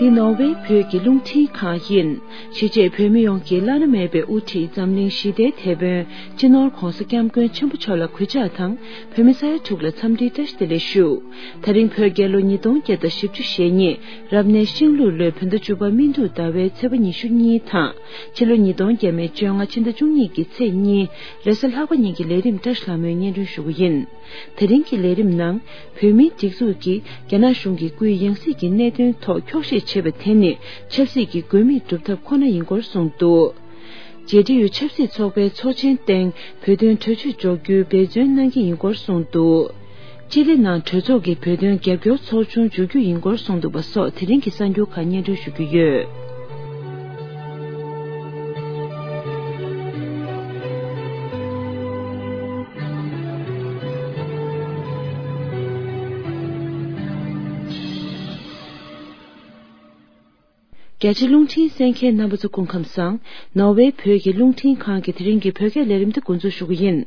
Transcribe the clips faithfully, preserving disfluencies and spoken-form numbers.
འདི་ནོར་ཝེ་བོད་ཀྱི་རླུང་འཕྲིན་ཁང་ཡིན། གཞིས་བྱེས་བོད་མི་ཡོངས་ཀྱི་བླ་ན་མེད་པའི་དབུ་ཁྲིད་འཛམ་གླིང་ཞི་བདེའི་དེད་དཔོན་སྤྱི་ནོར་༧གོང་ས་༧སྐྱབས་མགོན་ཆེན་པོ་མཆོག་ལ་གུས་ཕྱག་དང་། བོད་མི་ས་ཡ་དྲུག་ལ་འཚམས་འདྲིའི་བཀྲ་ཤིས་བདེ་ལེགས་ཞུ། ད་རིང་བོད་རྒྱལ་ལོ་ཉིས་སྟོང་བརྒྱ་དང་བཞི་བཅུ་ཞེ་གཉིས་རབ་གནས་ཤིང་ལུག་ལོའི་བོད་ཟླ་བཅུ་པ་སྨིན་དྲུག་ཟླ་བའི་ཚེས་པ་ཉི་ཤུ་གཉིས་དང་། ཕྱི་ལོ་ཉིས་སྟོང་ཉེར་ལྔ་ཕྱི་ཟླ་བཅུ་གཉིས་ཀྱི་ཚེས་གཉིས་རེས་གཟའ་ལྷག་པ་ཉིན་གྱི་ལས་རིམ་བཀྲ་ཤིས་ལྷ་མོས་སྙན་སྒྲོན་ཞུ་རྒྱུ་ཡིན། དེ་རིང་གི་ལས་རིམ་ནང་། བོད་མིའི་སྒྲིག་འཛུགས་ཀྱིས་རྒྱ་ནག་གཞུང་གི་སྐུའི་ཡང་སྲིད་ཀྱི་གནད་དོན་ཐོག་འཁྱོག་བཤད་བྱས་པ་དེ་ནི་ཆབ་སྲིད་ཀྱི་དགོས་དམིགས་སྒྲུབ་ཐབས་ཁོ་ན་ཡིན་སྐོར་གསུངས་འདུག། རྒྱལ་འབྲེལ་ཡུལ་ཆབ་སྲིད་ཚོགས་པའི་ཚོགས་ཆེན་སྟེང་བོད་དོན་གྲོས་ཆོད་འཇོག་རྒྱུའི་འབད་བརྩོན་གནང་གི་ཡིན་སྐོར་གསུངས་འདུག། ཅི་ལི་ནང་གྲོས་ཚོགས་ཀྱི་བོད་དོན་རྒྱབ་སྐྱོར་ཚོགས་ཆུང་འཇུག་རྒྱུ་ཡིན་སྐོར་གསུངས་འདུག་པ་སོགས་དེ་རིང་གི་གསར་འགྱུར་ཁག་སྙན་སྒྲོན་ཞུ་རྒྱུ་ཡོད། རྒྱ་ཆེ་རླུང་འཕྲིན་གསན་མཁན་རྣམ་པ་ཚོ་སྐུ་ཁམས་བཟང་། ནོར་ཝེ་བོད་ཀྱི་རླུང་འཕྲིན་ཁང་གི་དེ་རིང་གི་བོད་སྐད་ལས་རིམ་དེ་འགོ་འཛུགས་ཞུ་གི་ཡིན།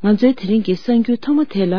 ང་ཚོའི་དེ་རིང་གི་གསར་འགྱུར་ཐོག་མ་དེ་ལ།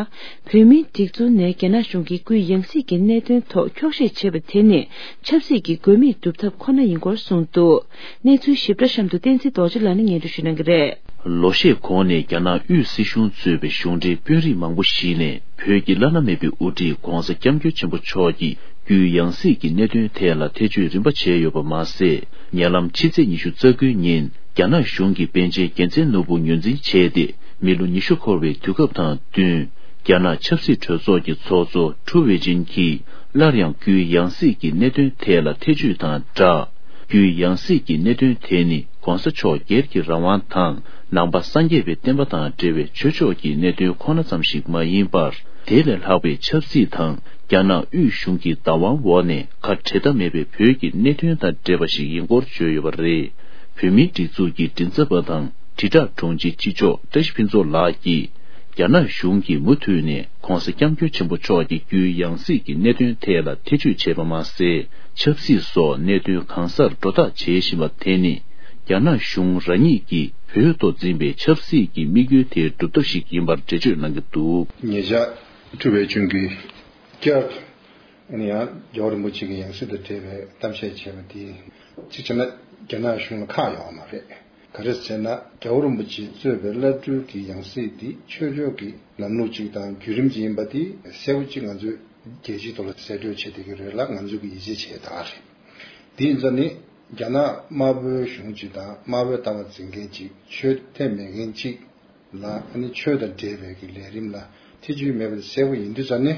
བོད་མིའི་སྒྲིག་འཛུགས་ནས་རྒྱ་ནག་གཞུང་གི་སྐུའི་ཡང་སྲིད་ཀྱི་གནད་དོན་ཐོག་འཁྱོག་བཤད་བྱས་པ་དེ་ནི་ཆབ་སྲིད་ཀྱི་དགོས་དམིགས་སྒྲུབ་ཐབས་ཁོ་ན་ཡིན་སྐོར་གསུངས་འདུག། གནས་ཚུལ་ཞིབ་ཕྲ་གཤམ་དུ་བསྟན་འཛིན་རྡོ་རྗེ་ལགས་ནས་སྙན་སྒྲོན་ཞུ་གནང་གི་རེད། ལོ་ཤས་གོང་ནས་རྒྱ་ནག་དབུས་སྲིད་གཞུང་གཙོས་པའི་གཞུང་འབྲེལ་དཔོན་རིགས་མང་པོ་ཞིག་ནས་བོད་ཀྱི་བླ་ན་མེད་པའི་དབུ་ཁྲིད་༧གོང་ས་༧སྐྱབས་མགོན་ཆེན་པོ་མཆོག་གི་སྐུའི་ཡང་སྲིད་ཀྱི་གནད་དོན་ཐད་ལ་ཐེ་བྱུས་རིམ་པ་བྱས་ཡོད་པ་མ་ཟད། ཉེ་ལམ་ཕྱི་ཚེས་ཉི་ཤུ་རྩ་དགུའི་ཉིན་རྒྱ་ནག་གཞུང་གི་པཎ་ཆེན་རྒྱལ་མཚན་ནོར་བུ་ངོས་འཛིན་བྱས་ཏེ། མི་ལོ་ཉི་ཤུ་འཁོར་བའི་དུས་སྐབས་དང་བསྟུན། རྒྱ་ནག་ཆབ་སྲིད་གྲོས་ཚོགས་ཀྱི་ཚོགས་གཙོ་ཁྲུའུ་ཝེ་ཅིན་གྱིས་སླར་ཡང་སྐུའི་ཡང་སྲིད་ཀྱི་གནད་དོན་ཐད་ལ་ཐེ་བྱུས་དང་སྦྲགས། སྐུའི་ཡང་སྲིད་ཀྱི་གནད་དོན་དེ་ནི་༧གོང་ས་མཆོག་སྒེར་གྱི་རང་དབང་དང་། ནང་པ་སངས་རྒྱས་པའི་བསྟན་པ་དང་འབྲེལ་བའི་ཆོས་ཕྱོགས་ཀྱི་གནད་དོན་ཁོ་ན་ཙམ་ཞིག་མ་ཡིན་པར། དེ་ལས་ལྷག་པའི་ཆབ་སྲིད་དང་རྒྱ་ནག་དབུས་གཞུང་གི་བདག་དབང་འོག་ནས་ཁ་བྲལ་ཐབས་མེད་པའི་བོད་ཀྱི་གནད་དོན་དང་འབྲེལ་བ་ཞིག་ཡིན་སྐོར་བརྗོད་ཡོད་པ་རེད། བོད་མིའི་སྒྲིག་འཛུགས་ཀྱི་མགྲིན་ཚབ་པ་དང་དྲིལ་བསྒྲགས་དྲུང་ཆེ་སྤྱི་ལྕོགས་བཀྲ་ཤིས་ཕུན་ཚོགས་ལགས་ཀྱིས། རྒྱ་ནག་གཞུང་གིས་མུ་མཐུད་ནས་༧གོང་ས་༧སྐྱབས་མགོན་ཆེན་པོ་མཆོག་གི་སྐུའི་ཡང་སྲིད་ཀྱི་གནད་དོན་ཐད་ལ་ཐེ་བྱུས་བྱས་པ་མ་ཟད། ཆབ་སྲིད་སོགས་གནད་དོན་གང་སར་སྒྲོ་བཏགས་བྱེད་བཞིན་པ་དེ་ནི། རྒྱ་ནག་གཞུང་རང་ཉིད་ཀྱིས་བོད་ཐོག་འཛིན་པའི་ཆབ་སྲིད་ཀྱི་དམིགས་ཡུལ་དེའི་སྒྲུབ་ཐབས་ཤིག་ཡིན་པར་འགྲེལ་བརྗོད་གནང་གི་འདུག། ཉེ་ཆར་ཁྲུའུ་ཝེ་ཅུན་གྱིས་བསྐྱར་དུ་ཡང་རྒྱལ་བ་རིན་པོ་ཆེ་གི་ཡང་སྲིད་དང་འབྲེལ་བའི་གཏམ་བཤད་བྱས་པ་དེ། གཅིག་བྱས་ན་རྒྱ་ནག་གཞུང་ལ་ཁག་ཡོད་མ་རེད། ག་རེ་ཟེར་ན། རྒྱལ་བ་རིན་པོ་ཆེས་གཙོས་པའི་བླ་སྤྲུལ་གྱི་ཡང་སྲིད་འདི་ཆོས་ཕྱོགས་ཀྱི་ལམ་ལུགས་ཅིག་དང་བརྒྱུད་རིམ་ཅིག་ཡིན་པ་འདི་གསལ་པོ་ཅིག་ང་ཚོས་རྒྱལ་སྤྱིའི་ཐོག་ལ་གསལ་བཀྲོལ་བྱེད་བསྡད་ཀྱི་རེད་ལ། ང་ཚོས་ཀྱི་ཡིད་ཆེས་བྱེད་ཡ་ད་ག་རེད། འདི་ཡིན་ཙང་ནི་རྒྱ་ནག་དམར་པོའི་གཞུང་ཅིག་དང་དམར་པོའི་ལྟ་བ་འཛིན་མཁན་ཅིག་ཆོས་དད་མེད་མཁན་ཅིག་ལ་ཨ་ནི་ཆོས་དང་འབྲེལ་བའི་གི་ལས་རིམ་ལ་ཐེ་བྱུས་མེད་པ་དེ་གསལ་པོ་ཡིན་དུས་ཙང་ནི།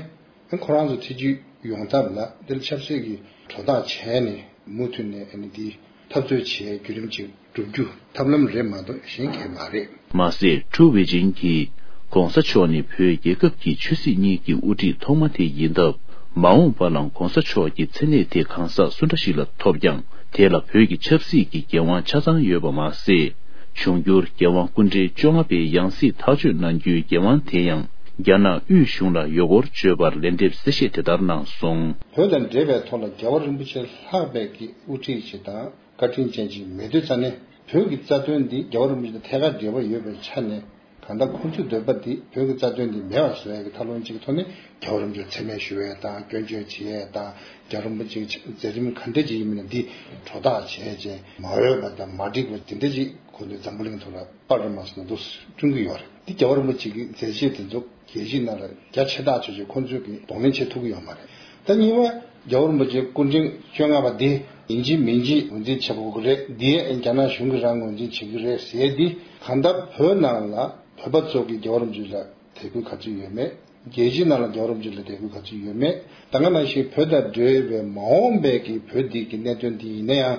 ཁོ་རང་ཚོ་ཐེ་བྱུས་ཡོང་ཐབས་ལ་འདིར་ཆབ་སྲིད་ཀྱི་དོ་བདག་བྱས་ནས་མུ་མཐུད་ནས་ཨ་ནི་འདི་འཐབ་རྩོད་བྱེད་བརྒྱུད་རིམ་ཅིག་བསྒྲུབ་རྒྱུ་ཐབས་ལམ་རེད་མ་གཏོགས་གཞན་གང་ཡང་མ་རེད། མ་ཟད། ཁྲུའུ་ཝེ་ཅིན་གྱིས་༧གོང་ས་མཆོག་ནི་བོད་རྒྱལ་ཁབ་ཀྱི་ཆོས་སྲིད་གཉིས་ཀྱི་དབུ་ཁྲིད་ཐོག་མ་དེ་ཡིན་སྟབས། མ་འོངས་པ་ལ་༧གོང་ས་མཆོག་གི་མཚན་གནས་དེ་གང་ཟག་སུ་འདྲ་ཞིག་ལ་ཐོབ་ཀྱང་། དེ་ལ་བོད་ཀྱི་ཆབ་སྲིད་ཀྱི་འགན་དབང་ཆ་ཚང་ཡོད་པ་མ་ཟད། འབྱུང་འགྱུར་རྒྱལ་དབང་སྐུ་ཕྲེང་བཅོ་ལྔ་པའི་ཡང་སྲིད་ཐག་གཅོད་གནང་རྒྱུའི་འགན་དབང་དེ་ཡང་རྒྱ་ནག་དབུས་གཞུང་ལ་ཡོད་སྐོར་བརྗོད་པར་ལན་འདེབས་གསལ་བཤད་དེ་ལྟར་གནང་སོང་། བོད་དང་འབྲེལ་བའི་ཐོག་ལ་རྒྱལ་བ་རིན་པོ་ཆེ་ལྷག་པའི་གི་དབུ་ཁྲིད་ཅིག་དང་བཀའ་དྲིན་ཅན་ཅིག་མེད་དུས་ཙང་ནས། བོད་ཀྱི་རྩ་དོན་འདི་རྒྱལ་བ་རིན་པོ་ཆེ་དང་ཐད་ཀར་འབྲེལ་བ་ཡོད་པའི་ཆ་ནས། གང་ལྟར་ཁོང་ཚོའི་འདོད་པ་འདི་བོད་ཀྱི་རྩ་དོན་འདི་མེད་པར་བཟོ་ཡ་གི་ཐབས་ལམ་ཅིག་གི་ཐོག་ནས་རྒྱལ་བ་རིན་པོ་ཆེར་མཚན་སྨད་ཞུ་ཡ་དང་སྐྱོན་བརྗོད་བྱེད་ཡ་དང་། རྒྱལ་བ་རིན་པོ་ཆེའི་མཛད་རིམ་ག་འདྲ་ཅིག་ཡིན་མིན་འདི་སྒྲོ་བཏགས་བྱས་རྗེས་མ་འོས་པ་དང་མ་འགྲིག་པ་དེ་འདྲ་ཅིག་ཁོང་ཚོས་འཛམ་བུ་གླིང་ཐོག་ལ་པར་རིས་མ་སོང་འདུག་སྐྲུན་གྱི་ཡོད་རེད། འདི་རྒྱལ་བ་རིན་པོ་ཆེ་གི་མཛད་རྗེས་དེ་ཚོ་རྒྱལ་སྤྱིའི་ནང་ལ་རྒྱ་ཆེ་ཐག་ཆོད་ཅིག་ཁོང་ཚོས་ཀྱི་གདོང་ལེན་བྱེད་ཐུབ་ཀྱི་ཡོད་མ་རེད། ད་གཉིས་པ། རྒྱལ་བ་རིན་པོ་ཆེ་སྐུ་ཕྲེང་བཅོ་ལྔ་པ་འདི་ཡིན་གཅིག་མིན་གཅིག་ངོས་འཛིན་བྱེད་དགོས་ཀྱི་རེད། འདི་རྒྱ་ནག་གཞུང་གིས་རང་ངོས་འཛིན་བྱེད་ཀྱི་རེད་ཟེར་འདི། གང་ལྟར་བོད་ནང་ལ་བོད་པ་ཚོ་གིས་རྒྱལ་བ་རིན་པོ་ཆེ་ལ་དད་གུས་ག་ཚོད་ཡོད་མེད། རྒྱལ་སྤྱིའི་ནང་ལ་རྒྱལ་བ་རིན་པོ་ཆེ་ལ་དད་གུས་ག་ཚོད་ཡོད་མེད། ད་ག་ནང་བཞིན་བོད་དང་འབྲེལ་བའི་མ་འོངས་པའི་གི་བོད་འདི་གི་གནད་དོན་འདི་ཡིན་ན་ཡང་།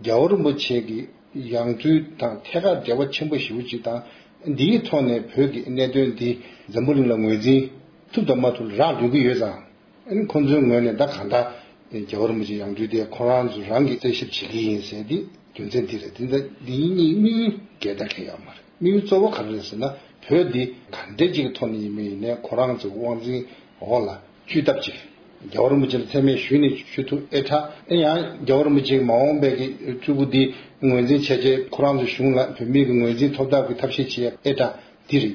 རྒྱལ་བ་རིན་པོ་ཆེ་གི་ཡང་སྤྲུལ་དང་ཐད་ཀར་འབྲེལ་བ་ཆེན་པོ་ཞེ་པོ་ཅིག་དང་། འདིའི་ཐོག་ནས་བོད་ཀྱི་གནད་དོན་འདི་འཛམ་བུ་གླིང་ལ་ངོས་འཛིན་ཐུབ་དང་མ་ཐུབ་རག་འགྲོ་གི་ཡོད་ཙང་། ཨ་ནི་ཁོང་ཚོའི་ངོས་ནས་ད་གང་ལྟར་རྒྱལ་བ་རིན་པོ་ཆེ་ཡང་སྤྲུལ་དེ་ཁོ་རང་ཚོ་རང་གིས་རྩད་ཞིབ་བྱེད་ཀྱི་ཡིན་ཟེར་དེ་རྒྱུ་མཚན་འདི་རེད། འདི་འདི་གཉིས་དམིགས་ཡུལ་གང་ལྟར་གང་ཡང་མ་རེད། དམིགས་ཡུལ་གཙོ་བོ་ག་རེ་རེད་ཟེར་ན། བོད་འདི་ག་འདྲ་ཅིག་གི་ཐོག་ནས་ཡིན་མིན་ཡིན་ནའི་ཁོ་རང་ཚོའི་དབང་འཛིན་འོག་ལ་བཅུག་ཐབས་ཅིག། རྒྱལ་བ་རིན་པོ་ཆེ་ལ་མཚན་སྨད་ཞུས་ནས་ཞུ་ཐུབ་ཨེ་དྲག། ཨེ་ཡང་རྒྱལ་བ་རིན་པོ་ཆེའི་མ་འོངས་པའི་གི་སྤྲུལ་སྐུ་འདི་ངོས་འཛིན་བྱས་རྗེས་ཁོ་རང་ཚོའི་གཞུང་ལ་བོད་མིའི་གི་ངོས་འཛིན་ཐོབ་ཐབས་ཀྱི་ཐབས་ཤེས་བྱེད་ཨེ་དྲག། འདི་རེད།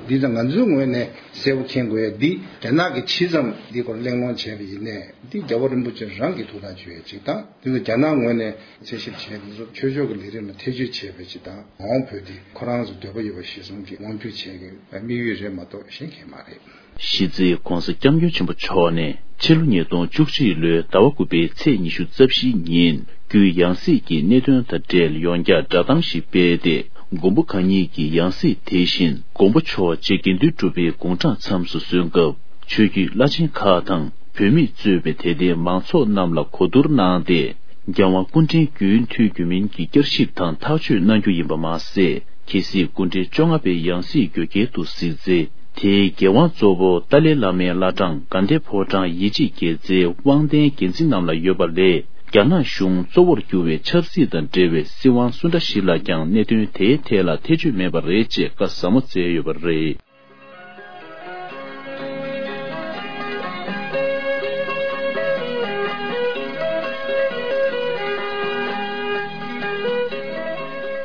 འདི་ད་ང་ཚོའི་ངོས་ནས་གསལ་པོ་མཁྱེན་དགོས་ཡ་འདི། རྒྱ་ནག་གིས་ཇི་ཙམ་འདི་སྐོར་གླེང་སློང་བྱས་པ་ཡིན་ནའི་འདི་རྒྱལ་བ་རིན་པོ་ཆེ་རང་གིས་ཐུགས་ཐག་གཅོད་ཡ་གཅིག་དང་། འདི་ཚོ་རྒྱ་ནག་ངོས་ནས་དཔྱད་ཞིབ་བྱས་པ་ཚོ་ཆོས་ཕྱོགས་ཀྱི་ལས་རིམ་ལ་ཐེ་བྱུས་བྱས་པ་ཅིག་དང་། མ་འོངས་བོད་འདི་ཁོ་རང་ཚོ་འདོད་པ་ཡོད་པ་གཞིར་བཟུང་གིས་དབང་སྒྱུར་བྱེད་ཀྱི་དམིགས་ཡུལ་རེད་མ་གཏོགས་གཞན་གང་མ་རེད། གཞིས་རྩེ་༸གོང་ས་༸སྐྱབས་མགོན་ཆེན་པོ་མཆོག་ནས་ཕྱི་ལོ་ཉིས་སྟོང་བཅུ་གཅིག་ལོའི་ཟླ་བ་དགུ་པའི་ཚེས་ཉི་ཤུ་རྩ་བཞིའི་ཉིན་རྒྱུའི་ཡང་སྲིད་ཀྱི་གནད་དོན་དང་འབྲེལ་ཡོངས་བསྐྱར་བསྒྲགས་གཏམ་ཞིག་སྤེལ་ཏེ། མགོན་པོ་གང་ཉིད་ཀྱི་ཡང་སྲིད་དེ་བཞིན་མགོན་པོ་མཆོག་རྗེ་དགེ་འདུན་གྲུབ་པའི་དགུང་གྲངས་མཚམས་སུ་སོན་སྐབས་ཆོས་བརྒྱུད་བླ་ཆེན་ཁག་དང་བོད་མིས་གཙོས་པའི་དད་ལྡན་མང་ཚོགས་རྣམས་ལ་གོ་བསྡུར་གནང་སྟེ། རྒྱལ་དབང་སྐུ་ཕྲེང་བརྒྱུད་མཐུད་རྒྱུ་མིན་གྱི་བསྐྱར་ཞིབ་དང་ཐག་གཅོད་གནང་རྒྱུ་ཡིན་པ་མ་ཟད། གལ་སྲིད་སྐུ་ཕྲེང་བཅོ་ལྔ་པའི་ཡང་སྲིད་འགོད་འཁེལ་དུ་གཟིགས་ཚེ། དེའི་འགན་དབང་གཙོ་བོ་ཏཱ་ལའི་བླ་མའི་བླ་བྲང་དགའ་ལྡན་ཕོ་བྲང་ཡིད་ཆེས་དགེ་རྩའི་དབང་ལྡན་འགན་འཛིན་རྣམས་ལ་ཡོད་པ་ལས། རྒྱ་ནག་གཞུང་གཙོ་བོར་གྱུར་བའི་ཆབ་སྲིད་དང་འབྲེལ་བའི་སྲིད་དབང་སུ་འདྲ་ཞིག་ལ་ཀྱང་གནད་དོན་དེའི་ཐད་ལ་ཐེ་བྱུས་མེད་པ་རེད་ཅེས་བཀའ་ཟབ་མོ་སྩལ་ཡོད་པ་རེད།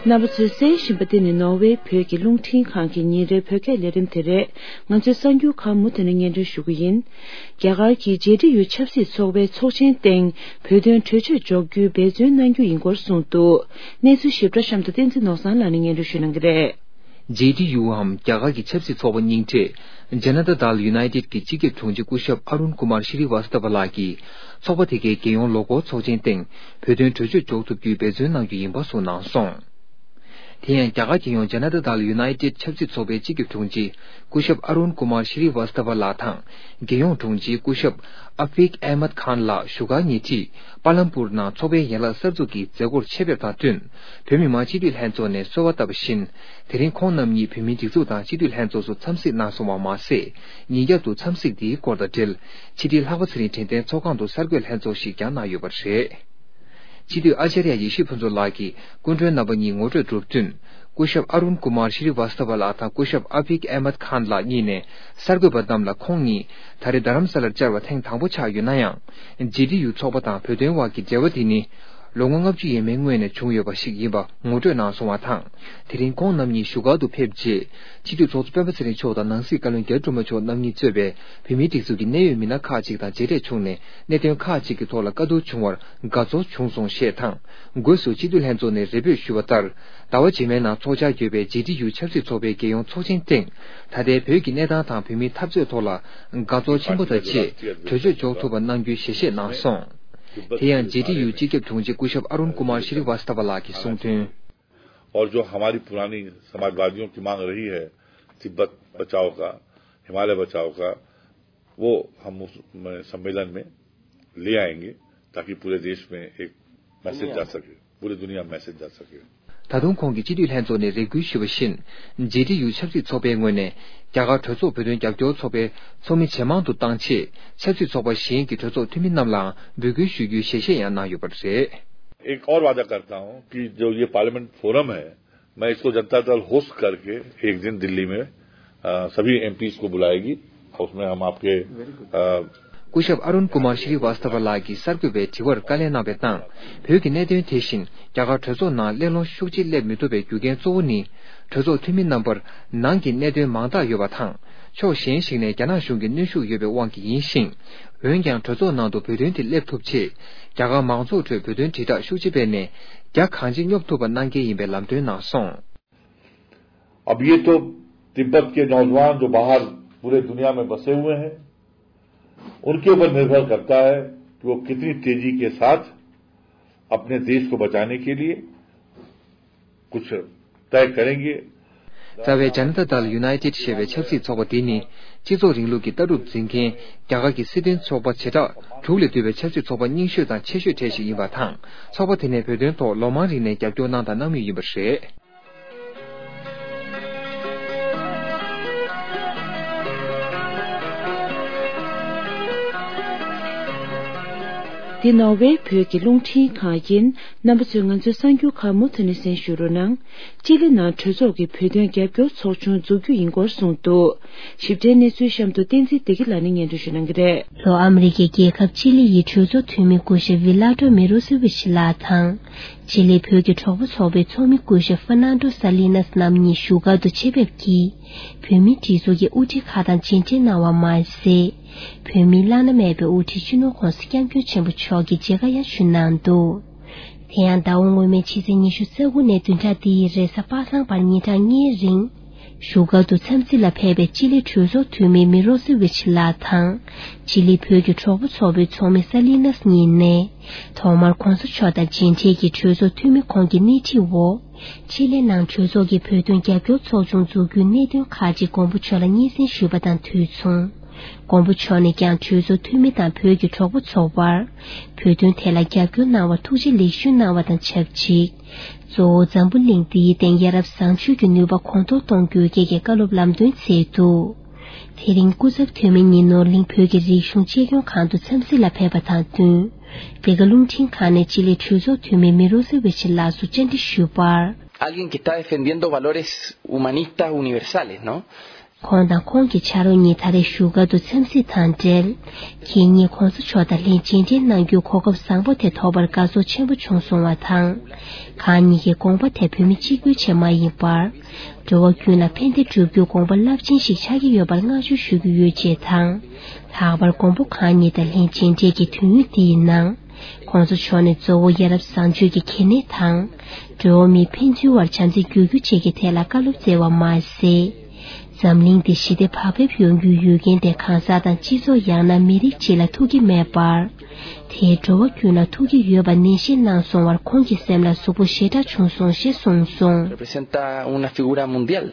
རྣམ་པ་ཚོས་གསན་བཞིན་པ་འདི་ནི་ནོར་ཝེ་བོད་ཀྱི་རླུང་འཕྲིན་ཁང་གི་ཉིན་རེའི་བོད་སྐད་ལས་རིམ་དེ་རེད། ང་ཚོའི་གསར་འགྱུར་ཁག་མུ་མཐུད་ནས་སྙན་སྒྲོན་ཞུ་གི་ཡིན། རྒྱ་གར་གྱི་ཇེ་ཌི་ཡུ་ཆབ་སྲིད་ཚོགས་པའི་ཚོགས་ཆེན་སྟེང་བོད་དོན་གྲོས་ཆོད་འཇོག་རྒྱུའི་འབད་བརྩོན་གནང་རྒྱུ་ཡིན་སྐོར་གསུངས་འདུག་གནས་ཚུལ་ཞིབ་ཕྲ་གཤམ་དུ་བསྟན་འཛིན་ནོར་བཟང་ལགས་ནས་སྙན་སྒྲོན་ཞུ་གནང་གི་རེད། ཇེ་ཌི་ཡུའམ་རྒྱ་གར་གྱི་ཆབ་སྲིད་ཚོགས་པ་རྙིང་བསྒྲགས་ཇ་ན་ཏ་དལ་ཡུ་ནའི་ཏེད་ཀྱི་སྤྱི་ཁྱབ་དྲུང་ཆེ་སྐུ་ཞབས་ཨ་རུན་ཀུ་མར་ཤྲི་ཝ་སྟ་བ་ལགས་ཀྱིས་ཚོགས་པ་དེ་གའི་རྒྱལ་ཡོངས་ལོ་འཁོར་ཚོགས་ཆེན་སྟེང་བོད་དོན་གྲོས་ཆོད་འཇོག་ཐུབ་རྒྱུའི་འབད་བརྩོན་གནང་རྒྱུ་ཡིན་པ་གསུངས་གནང་སོང་། དེ་ཡང་རྒྱ་གར་རྒྱལ་ཡོངས་ཇ་ན་ཏ་དལ་ཡུ་ནའི་ཏེད་ཆབ་སྲིད་ཚོགས་པའི་སྤྱི་ཁྱབ་དྲུང་ཆེ་སྐུ་ཞབས་ཨ་རུན་ཀུ་མར་ཤྲི་ཝ་སྟ་བ་ལགས་དང་རྒྱལ་ཡོངས་དྲུང་ཆེ་སྐུ་ཞབས་ཨ་ཕིག་ཨེ་མད་ཁཱན་ལགས་བཞུགས་སྒར་ཉེ་འཁྲིས་པཱ་ལམ་པུར་ནང་ཚོགས་པའི་ཡན་ལག་གསར་འཛུགས་ཀྱི་མཛད་སྒོར་ཆེད་ཕེབས་དང་བསྟུན། བོད་མི་མང་སྤྱི་འཐུས་ལྷན་ཚོགས་ནས་གསོལ་བ་བཏབ་པ་བཞིན། དེ་རིང་ཁོང་རྣམ་གཉིས་བོད་མིའི་སྒྲིག་འཛུགས་དང་སྤྱི་འཐུས་ལྷན་ཚོགས་སུ་འཚམས་གཟིགས་གནང་སོང་བ་མ་ཟད། ཉིན་རྒྱབ་ཏུ་འཚམས་གཟིགས་འདིའི་སྐོར་དང་འབྲེལ། ཕྱི་དྲིལ་ལྷག་པ་ཚེ་རིང་དྲན་རྟེན་ཚོགས་ཁང་དུ་གསར་འགོད་ལྷན་ཚོགས་ཤིག་ཀྱང་གནང་ཡོད་པ་རེད། སྤྱི་འཐུས་ཨ་ཅཱརྱ་ཡེ་ཤེས་ཕུན་ཚོགས་ལགས་ཀྱིས་སྐུ་མགྲོན་རྣམ་པ་གཉིས་ངོ་སྤྲོད་གྲུབ་བསྟུན། སྐུ་ཞབས་ཨ་རུན་ཀུ་མར་ཤྲི་ཝ་སྟ་བ་ལགས་དང་སྐུ་ཞབས་ཨ་ཕིག་ཨེ་མད་ཁཱན་ལགས་གཉིས་ནས་གསར་འགོད་པ་རྣམས་ལ་ཁོང་གཉིས་ད་རེས་རྡ་རམ་ས་ལར་བཅར་བ་ཐེངས་དང་པོ་ཆགས་ཡོད་ན་ཡང་། ཇེ་ཌི་ཡུ་ཚོགས་པ་དང་བོད་དོན་བར་གྱི་འབྲེལ་བ་འདི་ནི། ལོ་ངོ་ལྔ་བཅུ་ཡས་མས་སྔོན་ནས་བྱུང་ཡོད་པ་ཞིག་ཡིན་པ་ངོ་སྤྲོད་གནང་སོང་བ་དང་། དེ་རིང་ཁོང་རྣམ་གཉིས་བཞུགས་སྒར་དུ་ཕེབས་རྗེས། སྤྱི་འཐུས་ཚོགས་གཙོ་སྤེན་པ་ཚེ་རིང་མཆོག་དང་ནང་སྲིད་བཀའ་བློན་རྒྱ་རི་སྒྲོལ་མ་མཆོག་རྣམ་གཉིས་གཙོས་པའི་བོད་མིའི་སྒྲིག་འཛུགས་ཀྱི་གནད་ཡོད་མི་སྣ་ཁག་ཅིག་དང་མཇལ་འཕྲད་བྱུང་ནས། གནད་དོན་ཁག་ཅིག་གི་ཐོག་ལ་བཀའ་བསྡུར་བྱུང་བར་དགའ་ཚོར་བྱུང་སོང་ཞེས་དང་། སྒོས་སུ་སྤྱི་འཐུས་ལྷན་ཚོགས་ནས་རེ་འབོད་ཞུས་པ་ལྟར། ཟླ་བ་རྗེས་མའི་ནང་འཚོགས་འཆར་ཡོད་པའི་ཇེ་ཌི་ཡུ་ཆབ་སྲིད་ཚོགས་པའི་རྒྱལ་ཡོངས་ཚོགས་ཆེན་སྟེང་། ད་ལྟའི་བོད་ཀྱི་གནས་སྟངས་དང་བོད་མིའི་འཐབ་རྩོད་ཐོག་ལ་དགའ་ཚོར་ཆེན་པོ་དང་བཅས་གྲོས་ཆོད་འཇོག་ཐུབ་པ་གནང་རྒྱུའི་ཞལ་བཞེས་གནང་སོང་། དེ་ཡང་ཇེ་ཌི་ཡུ་སྤྱི་ཁྱབ་དྲུང་ཆེ་སྐུ་ཞབས་ཨ་རུན་ཀུ་མར་ཤྲི་ཝ་སྟ་བ་ལགས་ཀྱིས་གསུངས་དོན། और जो हमारी पुरानी समाजवादियों की मांग रही है, तिब्बत बचाओ का, हिमालय बचाओ का, वो हम उस, में, सम्मेलन में ले आएंगे, ताकि पूरे देश में एक मैसेज जा सके, पूरी दुनिया में मैसेज जा सके। ད་དུང་ཁོང་གིས་སྤྱི་འཐུས་ལྷན་ཚོགས་ནས་རེ་སྐུལ་ཞུས་པ་བཞིན། ཇེ་ཌི་ཡུ་ཆབ་སྲིད་ཚོགས་པའི་ངོས་ནས་རྒྱ་གར་གྲོས་ཚོགས་བོད་དོན་རྒྱབ་སྐྱོར་ཚོགས་པའི་ཚོགས་མི་ཇེ་མང་དུ་བཏང་ཆེད། ཆབ་སྲིད་ཚོགས་པ་གཞན་གྱི་གྲོས་ཚོགས་འཐུས་མི་རྣམས་ལའང་འབོད་སྐུལ་ཞུ་རྒྱུའི་ཞལ་བཞེས་ཡང་གནང་ཡོད་པ་རེད། एक और वादा करता हूं कि जो ये पार्लियामेंट फोरम है, मैं इसको जनता दल होस्ट करके एक दिन दिल्ली में, अ, सभी एमपीज़ को बुलाएगी। उसमें हम आपके, अ, སྐུ་ཞབས་ཨ་རུན་ཀུ་མར་ཤྲི་ཝ་སྟ་བ་ལགས་ཀྱིས་གསར་འགོད་པའི་དྲི་བར་བཀའ་ལན་གནང་བའི་ནང་། བོད་ཀྱི་གནད་དོན་དེ་བཞིན་རྒྱ་གར་གྲོས་ཚོགས་ནང་གླེང་སློང་ཤུགས་ཆེ་སླེབས་མི་ཐུབ་པའི་རྒྱུ་རྐྱེན་གཙོ་བོ་ནི། གྲོས་ཚོགས་འཐུས་མི་རྣམ་པར་ནང་གི་གནད་དོན་མང་དག་ཡོད་པ་དང་། ཕྱོགས་གཞན་ཞིག་ནས་རྒྱ་ནག་གཞུང་གི་གནོན་ཤུགས་ཡོད་པའི་དབང་གིས་ཡིན་ཞིང་། འོན་ཀྱང་། གྲོས་ཚོགས་ནང་དུ་བོད་དོན་དེ་སླེབས་ཐུབ་ཆེད། རྒྱ་གར་མང་ཚོགས་ཁྲོད་བོད་དོན་དྲིལ་བསྒྲགས་ཤུགས་ཆེ་སྤེལ་ནས། རྒྱ་གང་ཆེ་སྙོབ་ཐུབ་པ་གནང་གལ་ཡིན་པའི་ལམ་སྟོན་གནང་སོང་། अब ये तो तिब्बत के नौजवान जो बाहर पूरे दुनिया में बसे हुए हैं, उनके ऊपर निर्भर करता है कि वो कितनी तेजी के साथ अपने देश को बचाने के लिए कुछ तय करेंगे। རྩ་བའི་ཇ་ན་ཏ་དལ་ཡུ་ནའི་ཏེད་ཞེས་པའི་ཆབ་སྲིད་ཚོགས་པ་འདི་ནི། སྤྱི་ཚོགས་རིང་ལུགས་ཀྱི་ལྟ་གྲུབ་འཛིན་མཁན་རྒྱ་གར་གྱི་སྲིད་དོན་ཚོགས་པ་བྱེ་བྲག་དྲུག་ལས་བསྡུས་པའི་ཆབ་སྲིད་ཚོགས་པ་རྙིང་ཤོས་དང་ཆེ་ཤོས་གྲས་ཤིག་ཡིན་པ་དང་། ཚོགས་པ་དེ་ནས་བོད་དོན་ཐོག་ལོ་མང་རིང་ནས་རྒྱབ་སྐྱོར་གནང་དང་གནང་མུས་ཡིན་པ་རེད། འདི་ནོར་ཝེ་བོད་ཀྱི་རླུང་འཕྲིན་ཁང་ཡིན། རྣམ་པ་ཚོས་ང་ཚོའི་གསར་འགྱུར་ཁག་མུ་མཐུད་ནས་གསན་ཞུ་རོགས་གནང་། ཅི་ལི་ནང་གྲོས་ཚོགས་ཀྱི་བོད་དོན་རྒྱབ་སྐྱོར་ཚོགས་ཆུང་འཛུགས་རྒྱུ་ཡིན་སྐོར་གསུངས་འདུག། ཞིབ་ཕྲའི་གནས་ཚུལ་གཤམ་དུ་བསྟན་འཛིན་བདེ་སྐྱིད་ལགས་ནས་སྙན་སྒྲོན་ཞུ་གནང་གི་རེད། ལྷོ་ཨ་མི་རི་ཀའི་རྒྱལ་ཁབ་ཅི་ལི་ཡི་གྲོས་ཚོགས་འཐུས་མི་སྐུ་ཞབས་ཝི་ལ་ཏྲོ་མི་རོ་སི་ཝིཆ་ལགས་དང་། ཅི་ལི་བོད་ཀྱི་གྲོགས་པོ་ཚོགས་པའི་ཚོགས་མི་སྐུ་ཞབས་ཧྥ་ནན་ཏོ་ས་ལི་ནས་རྣམ་གཉིས་བཞུགས་སྒར་དུ་ཆེད་ཕེབས་ཀྱིས། བོད་མིའི་སྒྲིག་འཛུགས་ཀྱི་དབུ་ཁྲིད་ཁག་དང་མཇལ་འཕྲད་གནང་བ་མ་ཟད། བོད་མིའི་བླ་ན་མེད་པའི་དབུ་ཁྲིད་སྤྱི་ནོར་༸གོང་ས་༸སྐྱབས་མགོན་ཆེན་པོ་མཆོག་གི་མཇལ་ཁ་ཡང་ཞུས་གནང་འདུག། དེ་ཡང་ཟླ་བ་སྔོན་མའི་ཕྱི་ཚེས་ཉི་ཤུ་རྩ་དགུ་ནས་བདུན་ཕྲག་འདིའི་རེས་གཟའ་པ་སངས་བར་ཉིན་གྲངས་ལྔའི་རིང་། བཞུགས་སྒར་དུ་འཚམས་གཟིགས་ལ་ཕེབས་པའི་ཅི་ལི་གྲོས་ཚོགས་འཐུས་མི་མི་རོ་སི་ཝིཆ་ལགས་དང་། ཅི་ལི་བོད་ཀྱི་གྲོགས་པོ་ཚོགས་པའི་ཚོགས་མི་ས་ལི་ནས་གཉིས་ནས། ཐོག་མར་༸གོང་ས་མཆོག་དང་མཇལ་འཕྲད་ཀྱིས་གྲོས་ཚོགས་འཐུས་མི་ཁོང་གི་སྣེ་ཁྲིད་འོག། ཅི་ལི་ནང་གྲོས་ཚོགས་ཀྱི་བོད་དོན་རྒྱབ་སྐྱོར་ཚོགས་ཆུང་འཛུགས་རྒྱུའི་གནད་དོན་ཁག་ཅིག་མགོན་པོ་མཆོག་ལ་སྙན་སེང་ཞུས་པ་དང་དུས་མཚུངས། མགོན་པོ་མཆོག་ནས་ཀྱང་གྲོས་ཚོགས་འཐུས་མི་དང་བོད་ཀྱི་གྲོགས་པོ་ཚོགས་པར། བོད་དོན་ཐད་ལ་རྒྱབ་སྐྱོར་གནང་བར་ཐུགས་རྗེ་ལེགས་ཞུ་གནང་བ་དང་ཆབས་ཅིག། གཙོ་བོ་འཛམ་བུ་གླིང་འདིའི་སྟེང་ཡ་རབས་བཟང་སྤྱོད་ཀྱི་ནུས་པ་གོང་མཐོར་གཏོང་རྒྱུའི་སྐད་ཀྱི་བཀའ་སློབ་ལམ་སྟོན་མཛད་འདུག། དེ་རིང་སྐུ་ཚབ་འཐུས་མི་གཉིས་ནོར་གླིང་བོད་ཀྱི་རིག་གཞུང་གཅེས་སྐྱོང་ཁང་དུ་འཚམས་གཟིགས་ལ་ཕེབས་པ་དང་བསྟུན། འདི་ག་རླུང་འཕྲིན་ཁང་ནས་ཅི་ལི་གྲོས་ཚོགས་འཐུས་མི་མི་རོ་སི་ཝི་ཆི་ལགས་སུ་བཅར་འདྲི་ཞུས་པར། Alguien que está defendiendo valores humanistas universales, ¿no? ཁོང་དང་ཁོང་གི་ཕྱག་རོགས་གཉིས་ད་རེས་བཞུགས་སྒར་དུ་འཚམས་གཟིགས་དང་འབྲེལ། ཁྱེད་གཉིས་༸གོང་ས་མཆོག་དང་ལྷན་མཇལ་འཕྲད་གནང་རྒྱུའི་གོ་སྐབས་བཟང་པོ་དེ་ཐོབ་པར་དགའ་ཚོར་ཆེན་པོ་བྱུང་སོང་བ་དང་། ཁོང་གཉིས་ཀྱི་དགོངས་པ་དེ་བོད་མི་གཅིག་པུའི་ཆེད་མ་ཡིན་པར། འགྲོ་བ་ཀུན་ལ་ཕན་བདེ་བསྒྲུབ་རྒྱུའི་དགོངས་པ་རླབས་ཆེན་ཞིག་ཆགས་ཀྱི་ཡོད་པར་བསྔགས་བརྗོད་ཞུ་རྒྱུ་ཡོད་ཅེས་དང་། ལྷག་པར་མགོན་པོ་ཁོང་གཉིས་དང་ལྷན་མཇལ་འཕྲད་ཀྱི་དུས་ཡུན་འདིའི་ནང་། ༸གོང་ས་མཆོག་ནས་གཙོ་བོ་ཡ་རབས་བཟང་སྤྱོད་ཀྱི་གལ་གནད་དང་། འགྲོ་བ་མིའི་ཕན་ཚུན་བར་བྱམས་བརྩེ་བསྒྱུར་རྒྱུ་བཅས་ཀྱི་ཐད་ལ་བཀའ་སློབ་སྩལ་བ་མ་ཟད། འཛམ་གླིང་འདི་ཞི་བདེ་བག་ཕེབས་ཡོང་རྒྱུའི་ཡུལ་རྐྱེན་དེ་གང་ཟག་དང་སྤྱི་ཚོགས་ཡང་ན་མི་རིགས་གཅིག་ལ་ཐུག་གི་མེད་པར། དེས་འགྲོ་བ་ཀུན་ལ་ཐུག་གི་ཡོད་པ་ནན་བཤད་གནང་སོང་བར་ཁོང་གི་སེམས་ལ་གཟུགས་པོ་ཞེ་དྲག་བྱུང་སོང་ཞེས་གསུངས་སོང་། Representa una figura mundial.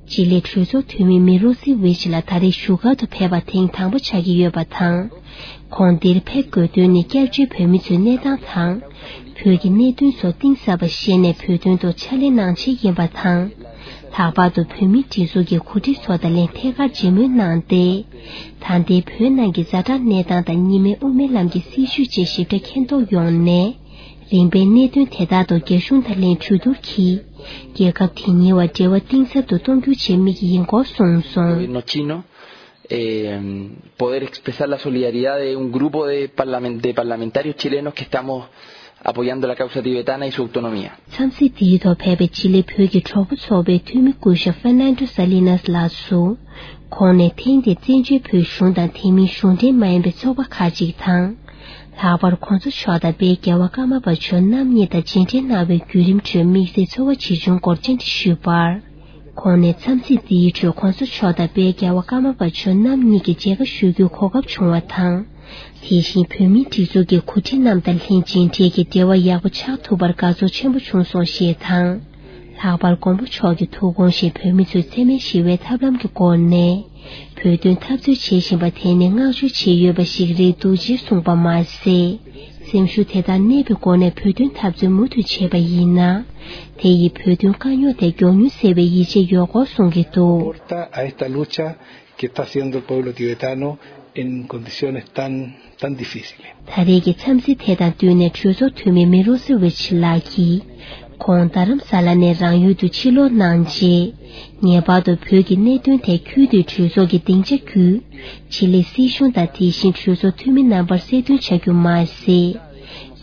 ཅི་ལི་གྲོས་ཚོགས་འཐུས་མི་མི་རོ་སི་ཝི་ཆི་ལགས་ད་རེས་བཞུགས་སྒར་དུ་ཕེབས་པ་ཐེངས་དང་པོ་ཆགས་ཀྱི་ཡོད་པ་དང་། ཁོང་འདིར་ཕེབས་དགོས་དོན་ནི་སྐྱབས་བཅོལ་བོད་མི་ཚོའི་གནས་སྟངས་དང་། བོད་ཀྱི་གནད་དོན་སོགས་གཏིང་ཟབ་པ་ཤེས་ནས་བོད་དོན་ཐོག་ཕྱག་ལས་གནང་ཆེད་ཡིན་པ་དང་། ལྷག་པར་དུ་བོད་མིའི་སྒྲིག་འཛུགས་ཀྱི་འགོ་ཁྲིད་ཚོ་དང་ལྷན་ཐད་ཀར་མཇལ་མོལ་གནང་སྟེ། ད་ལྟའི་བོད་ནང་གི་ཛ་དྲག་གནས་སྟངས་དང་གཉིས་སྨན་དབུ་མའི་ལམ་གྱི་སྲིད་བྱུས་བཅས་ཞིབ་ཕྲ་མཁྱེན་རྟོགས་ཡོང་ནས། རིམ་པས་གནད་དོན་དེ་དག་ཐོག་རྒྱ་གཞུང་དང་ལྷན་གྲོས་བསྡུར་གྱིས། རྒྱལ་ཁབ་དེ་གཉིས་བར་འབྲེལ་བ་གཏིང་ཟབ་ཏུ་གཏོང་རྒྱུའི་ཆེད་དམིགས་ཡིན་སྐོར་གསུངས་སོང་། Gobierno chino, eh, poder expresar la solidaridad de un grupo de parlamen-, de parlamentarios chilenos que estamos apoyando la causa tibetana y su autonomía. འཚམས་གཟིགས་དེའི་ཐོག་ཕེབས་པའི་ཅི་ལི་བོད་ཀྱི་གྲོགས་པོ་ཚོགས་པའི་འཐུས་མི་སྐུ་ཞབས་ཧྥེར་ནན་ཏོ་ས་ལི་ནས་ལགས་སུ། ཁོང་ནས་ཐེངས་འདིར་བཙན་བྱོལ་བོད་གཞུང་དང་དེ་མིན་གཞུང་འབྲེལ་མ་ཡིན་པའི་ཚོགས་པ་ཁག་ཅིག་དང་། ལྷག་པར་༸གོང་ས་མཆོག་དང་དཔལ་རྒྱལ་བ་ཀརྨ་པ་མཆོག་རྣམ་གཉིས་དང་མཇལ་འཕྲད་གནང་བའི་བརྒྱུད་རིམ་ཁྲོད་དམིགས་བསལ་ཚོར་བ་ཇི་བྱུང་སྐོར་བཅར་འདྲི་ཞུས་པར། ཁོང་ནས་འཚམས་གཟིགས་འདིའི་ཁྲོད་༸གོང་ས་མཆོག་དང་དཔལ་རྒྱལ་བ་ཀརྨ་པ་མཆོག་རྣམ་གཉིས་ཀྱི་མཇལ་ཁ་ཞུ་རྒྱུའི་གོ་སྐབས་བྱུང་བ་དང་། དེ་བཞིན་བོད་མིའི་སྒྲིག་འཛུགས་ཀྱི་འགོ་ཁྲིད་རྣམས་དང་ལྷན་མཇལ་འཕྲད་ཀྱིས་འབྲེལ་བ་ཡག་པོ་ཆགས་ཐུབ་པར་དགའ་ཚོར་ཆེན་པོ་བྱུང་སོང་ཞེས་དང་། ལྷག་པར་མགོན་པོ་མཆོག་གི་ཐུགས་དགོངས་བཞིན་བོད་མི་ཚོས་འཚེ་མེད་ཞི་བའི་ཐབས་ལམ་གྱི་སྒོ་ནས་བོད་དོན་འཐབ་རྩོད་བྱེད་བཞིན་པ་དེ་ནི་བསྔགས་བརྗོད་བྱེད་འོས་པ་ཞིག་རེད་འདུག་ཅེས་གསུངས་པ་མ་ཟད། སེམས་ཤུགས་དེ་དག་གནས་པའི་སྒོ་ནས་བོད་དོན་འཐབ་རྩོད་མུ་མཐུད་བྱས་པ་ཡིན་ན། དེ་ཡིས་བོད་དོན་དཀའ་རྙོག་དེ་མགྱོགས་མྱུར་སེལ་བའི་ཡིད་ཆེས་ཡོད་སྐོར་གསུང་གི་འདུག། Aporta a esta lucha que está haciendo el pueblo tibetano en condiciones tan, tan difíciles. ད་རེས་ཀྱི་འཚམས་གཟིགས་དེ་དང་བསྟུན་ནས་གྲོས་ཚོགས་འཐུས་མི་མི་རོ་སི་ཝི་ཆི་ལགས་ཀྱིས། ཁོང་རྡ་རམ་ས་ལ་ནས་རང་ཡུལ་དུ་ཕྱིར་ལོག་གནང་རྗེས། ངེས་པར་དུ་བོད་ཀྱི་གནད་དོན་ཐད་ཁུལ་དུ་གྲོས་ཚོགས་ཀྱི་སྡིངས་ཆ་བརྒྱུད། ཆི་ལི་སྲིད་གཞུང་དང་དེ་བཞིན་གྲོས་ཚོགས་འཐུས་མི་རྣམ་པར་གསལ་སྟོན་བྱ་རྒྱུ་མ་ཟད།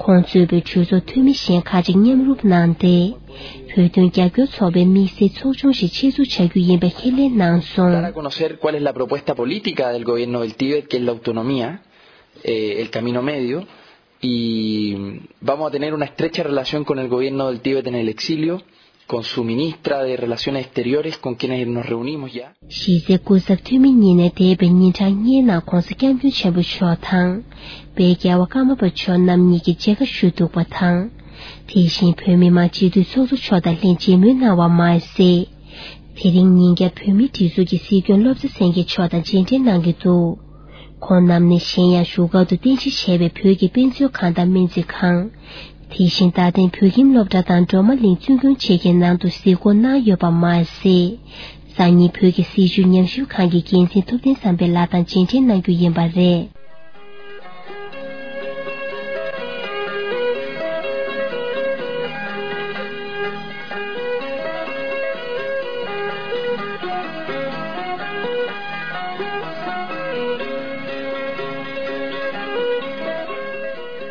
ཁོང་གཙོས་པའི་གྲོས་ཚོགས་འཐུས་མི་གཞན་ཁག་ཅིག་མཉམ་རུབ་གནང་སྟེ། བོད་དོན་རྒྱབ་སྐྱོར་ཚོགས་པའི་དམིགས་བསལ་ཚོགས་ཆུང་ཞིག་ཆེད་འཛུགས་བྱ་རྒྱུ་ཡིན་པ་ཁས་ལེན་གནང་སོང་། Dar a conocer cuál es la propuesta política del gobierno del Tíbet, que es la autonomía, eh, el camino medio, y vamos a tener una estrecha relación con el gobierno del Tíbet en el exilio, con su ministra de Relaciones Exteriores, con quienes nos reunimos ya. གཞི་རྩའི་སྐུ་ཚབ་འཐུས་མི་གཉིས་ནས་འདས་པའི་ཉིན་གྲངས་ལྔའི་ནང་༸གོང་ས་༸སྐྱབས་མགོན་ཆེན་པོ་མཆོག་དང་། དཔལ་རྒྱལ་བ་ཀརྨ་པ་མཆོག་རྣམ་གཉིས་ཀྱི་མཇལ་ཁ་ཞུ་གཏུག་པ་དང་། དེ་བཞིན་བོད་མི་མང་སྤྱི་འཐུས་ཚོགས་གཙོ་མཆོག་དང་ལྷན་མཇལ་མོལ་གནང་བ་མ་ཟད། དེ་རིང་ཉིན་རྒྱབ་བོད་མིའི་སྒྲིག་འཛུགས་ཀྱི་སྲིད་སྐྱོང་བློ་བཟང་སེང་གེ་མཆོག་དང་མཇལ་འཕྲད་གནང་གི་འདུག། ཁོང་རྣམས་ནས་གཞན་ཡང་བཞུགས་སྒར་དུ་རྟེན་གཞི་བྱས་པའི་བོད་ཀྱི་དཔེ་མཛོད་ཁང་དང་སྨན་རྩིས་ཁང་། དེ་བཞིན་རྡ་སྟེང་བོད་ཁྱིམ་སློབ་གྲྭ་དང་སྒྲོལ་མ་གླིང་བཙུན་དགོན་བཅས་ཀྱི་ནང་དུ་གཟིགས་སྐོར་གནང་ཡོད་པ་མ་ཟད། སང་ཉིན་བོད་ཀྱི་སྲིད་བྱུས་ཉམས་ཞིབ་ཁང་གི་འགན་འཛིན་ཐུབ་བསྟན་བསམ་འཕེལ་ལགས་དང་མཇལ་འཕྲད་གནང་རྒྱུ་ཡིན་པ་རེད།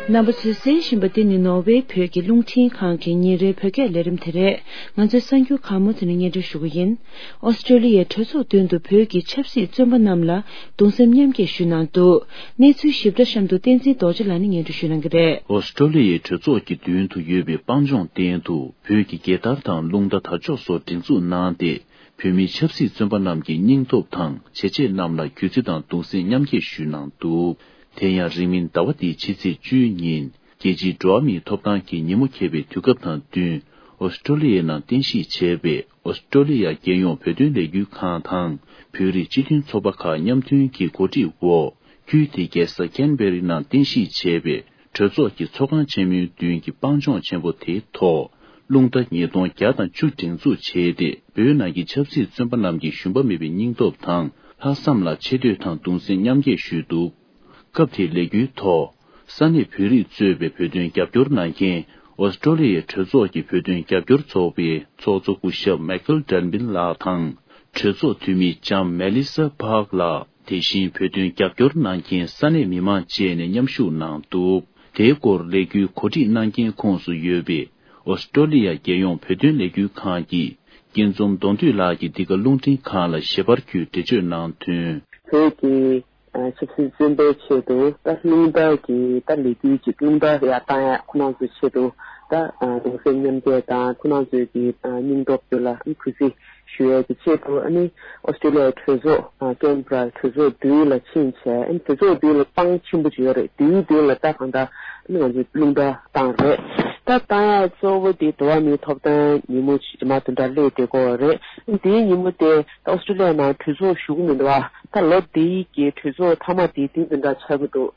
རྣམ་པ་ཚོས་གསན་བཞིན་པ་འདི་ནི་ནོར་ཝེ་བོད་ཀྱི་རླུང་འཕྲིན་ཁང་གི་ཉིན་རེའི་བོད་སྐད་ལས་རིམ་དེ་རེད། ང་ཚོས་གསར་འགྱུར་གང་མང་ཐོག་ནས་སྙན་སྒྲོན་ཞུ་གི་ཡིན། ཨོ་སི་ཀྲོ་ལི་ཡའི་གྲོས་ཚོགས་མདུན་དུ་བོད་ཀྱི་ཆབ་སྲིད་བཙོན་པ་རྣམས་ལ་གདུང་སེམས་མཉམ་སྐྱེད་ཞུས་གནང་འདུག་གནས་ཚུལ་ཞིབ་ཕྲ་གཤམ་དུ་བསྟན་འཛིན་རྡོ་རྗེ་ལགས་ནས་སྙན་སྒྲོན་ཞུ་གནང་གི་རེད། ཨོ་སི་ཀྲོ་ལི་ཡའི་གྲོས་ཚོགས་ཀྱི་མདུན་དུ་ཡོད་པའི་སྤང་ལྗོངས་སྟེང་དུ་བོད་ཀྱི་རྒྱལ་དར་དང་རླུང་རྟ་དར་ལྕོག་སོགས་སྒྲེང་འཛུགས་གནང་སྟེ། བོད་མིའི་ཆབ་སྲིད་བཙོན་པ་རྣམས་ཀྱི་སྙིང་སྟོབས་དང་བྱས་རྗེས་རྣམས་ལ་གུས་བརྩི་དང་གདུང་སེམས་མཉམ་སྐྱེད་ཞུས་གནང་འདུག་དེ་ཡང་རིང་མིན་ཟླ་བ་འདིའི་ཕྱི་ཚེས་བཅུའི་ཉིན་རྒྱལ་སྤྱིའི་འགྲོ་བ་མིའི་ཐོབ་ཐང་གི་ཉིན་མོ་འཁེལ་བའི་དུས་སྐབས་དང་བསྟུན། ཨོ་སི་ཀྲོ་ལི་ཡའི་ནང་རྟེན་གཞི་བྱས་པའི་ཨོ་སི་ཀྲོ་ལི་ཡ་རྒྱལ་ཡོངས་བོད་དོན་ལས་འགུལ་ཁང་དང་བོད་རིགས་སྤྱི་མཐུན་ཚོགས་པ་ཁག་མཉམ་མཐུན་གྱི་གོ་སྒྲིག་འོག་ཁུལ་དེའི་རྒྱལ་ས་ཀན་བེ་རི་ནང་རྟེན་གཞི་བྱས་པའི་གྲོས་ཚོགས་ཀྱི་ཚོགས་ཁང་ཆེན་མོའི་མདུན་གྱི་སྤང་ལྗོངས་ཆེན་པོ་དེའི་ཐོག་རླུང་རྟ་ཉིས་སྟོང་བརྒྱ་དང་བཅུ་སྒྲེང་འཛུགས་བྱས་ཏེ། བོད་ནང་གི་ཆབ་སྲིད་བཙོན་པ་རྣམས་ཀྱི་ཞུམ་པ་མེད་པའི་སྙིང་སྟོབས་དང་ལྷག་བསམ་ལ་ཆེ་བསྟོད་དང་གདུང་སེམས་མཉམ་སྐྱེད་ཞུས་འདུག་སྐབས་དེའི་ལས་འགུལ་ཐོག་ས་གནས་བོད་རིགས་གཙོས་པའི་བོད་དོན་རྒྱབ་སྐྱོར་གནང་མཁན་ཨོ་སི་ཀྲོ་ལི་ཡའི་གྲོས་ཚོགས་ཀྱི་བོད་དོན་རྒྱབ་སྐྱོར་ཚོགས་པའི་ཚོགས་གཙོ་སྐུ་ཞབས་མའི་ཁལ་ཌན་བིན་ལགས་དང་། གྲོས་ཚོགས་འཐུས་མི་ལྕམ་མེ་ལི་ས་པཱག་ལགས། དེ་བཞིན་བོད་དོན་རྒྱབ་སྐྱོར་གནང་མཁན་ས་གནས་མི་མང་བཅས་ནས་མཉམ་ཞུགས་གནང་འདུག་དེའི་སྐོར་ལས་འགུལ་གོ་སྒྲིག་གནང་མཁན་ཁོངས་སུ་ཡོད་པའི་ཨོ་སི་ཀྲོ་ལི་ཡ་རྒྱལ་ཡོངས་བོད་དོན་ལས་འགུལ་ཁང་གི་སྐྱིད་འཛོམས་གདོང་འདུས་ལགས་ཀྱིས་འདི་ག་རླུང་འཕྲིན་ཁང་ལ་ཞལ་པར་བརྒྱུད་འགྲེལ་བརྗོད་གནང་དོན། བོད་ཀྱི་ཆབ་སྲིད་བཙོན་པའི་ཆེད་དུ་ད་རླུང་རྟ་གི་ད་ལས་འགུལ་ཅིག་རླུང་རྟ་ཡར་བཏང་ཡ་ཁོ་རང་ཚོའི་ཆེད་དུ་ད་གདུང་སེམས་མཉམ་སྐྱེད་དང་ཁོ་རང་ཚོའི་གི་སྙིང་སྟོབས་དེ་ལ་གུས་བརྩི་ཞུ་ཡས་ཀྱི་ཆེད་དུ། ཨ་ནི་ཨོ་སི་ཀྲོ་ལི་ཡའི་གྲོས་ཚོགས་ཀེན་བྷ་ར་གྲོས་ཚོགས་མདུན་ལ་ཕྱིན་བྱས། ཨ་ནི་གྲོས་ཚོགས་མདུན་ལ་སྤང་ཆེན་པོ་ཅིག་ཡོད་རེད། དེའི་མདུན་ལ་ད་གང་ལྟར་ཨ་ནི་ང་ཚོས་རླུང་རྟ་བཏང་རེད། ད་བཏང་ཡ་གཙོ་བོ་དེ་འགྲོ་བ་མིའི་ཐོབ་ཐང་ཉིན་མོ་ཇི་མ་བདུན་ཕྲག་སླེབས་བསྡད་ཀྱི་ཡོད་རེད། ཨ་ནི་དེའི་ཉིན་མོ་དེ་ད་ཨོ་སི་ཀྲོ་ལི་ཡ་ནང་གྲོས་ཚོགས་ཞུགས་ཀྱི་མི་འདུག་བ། ད་ལོ་འདིའི་གི་གྲོས་ཚོགས་མཐའ་མ་དེ་དེ་བདུན་ཕྲག་ཆགས་ཀྱི་འདུག་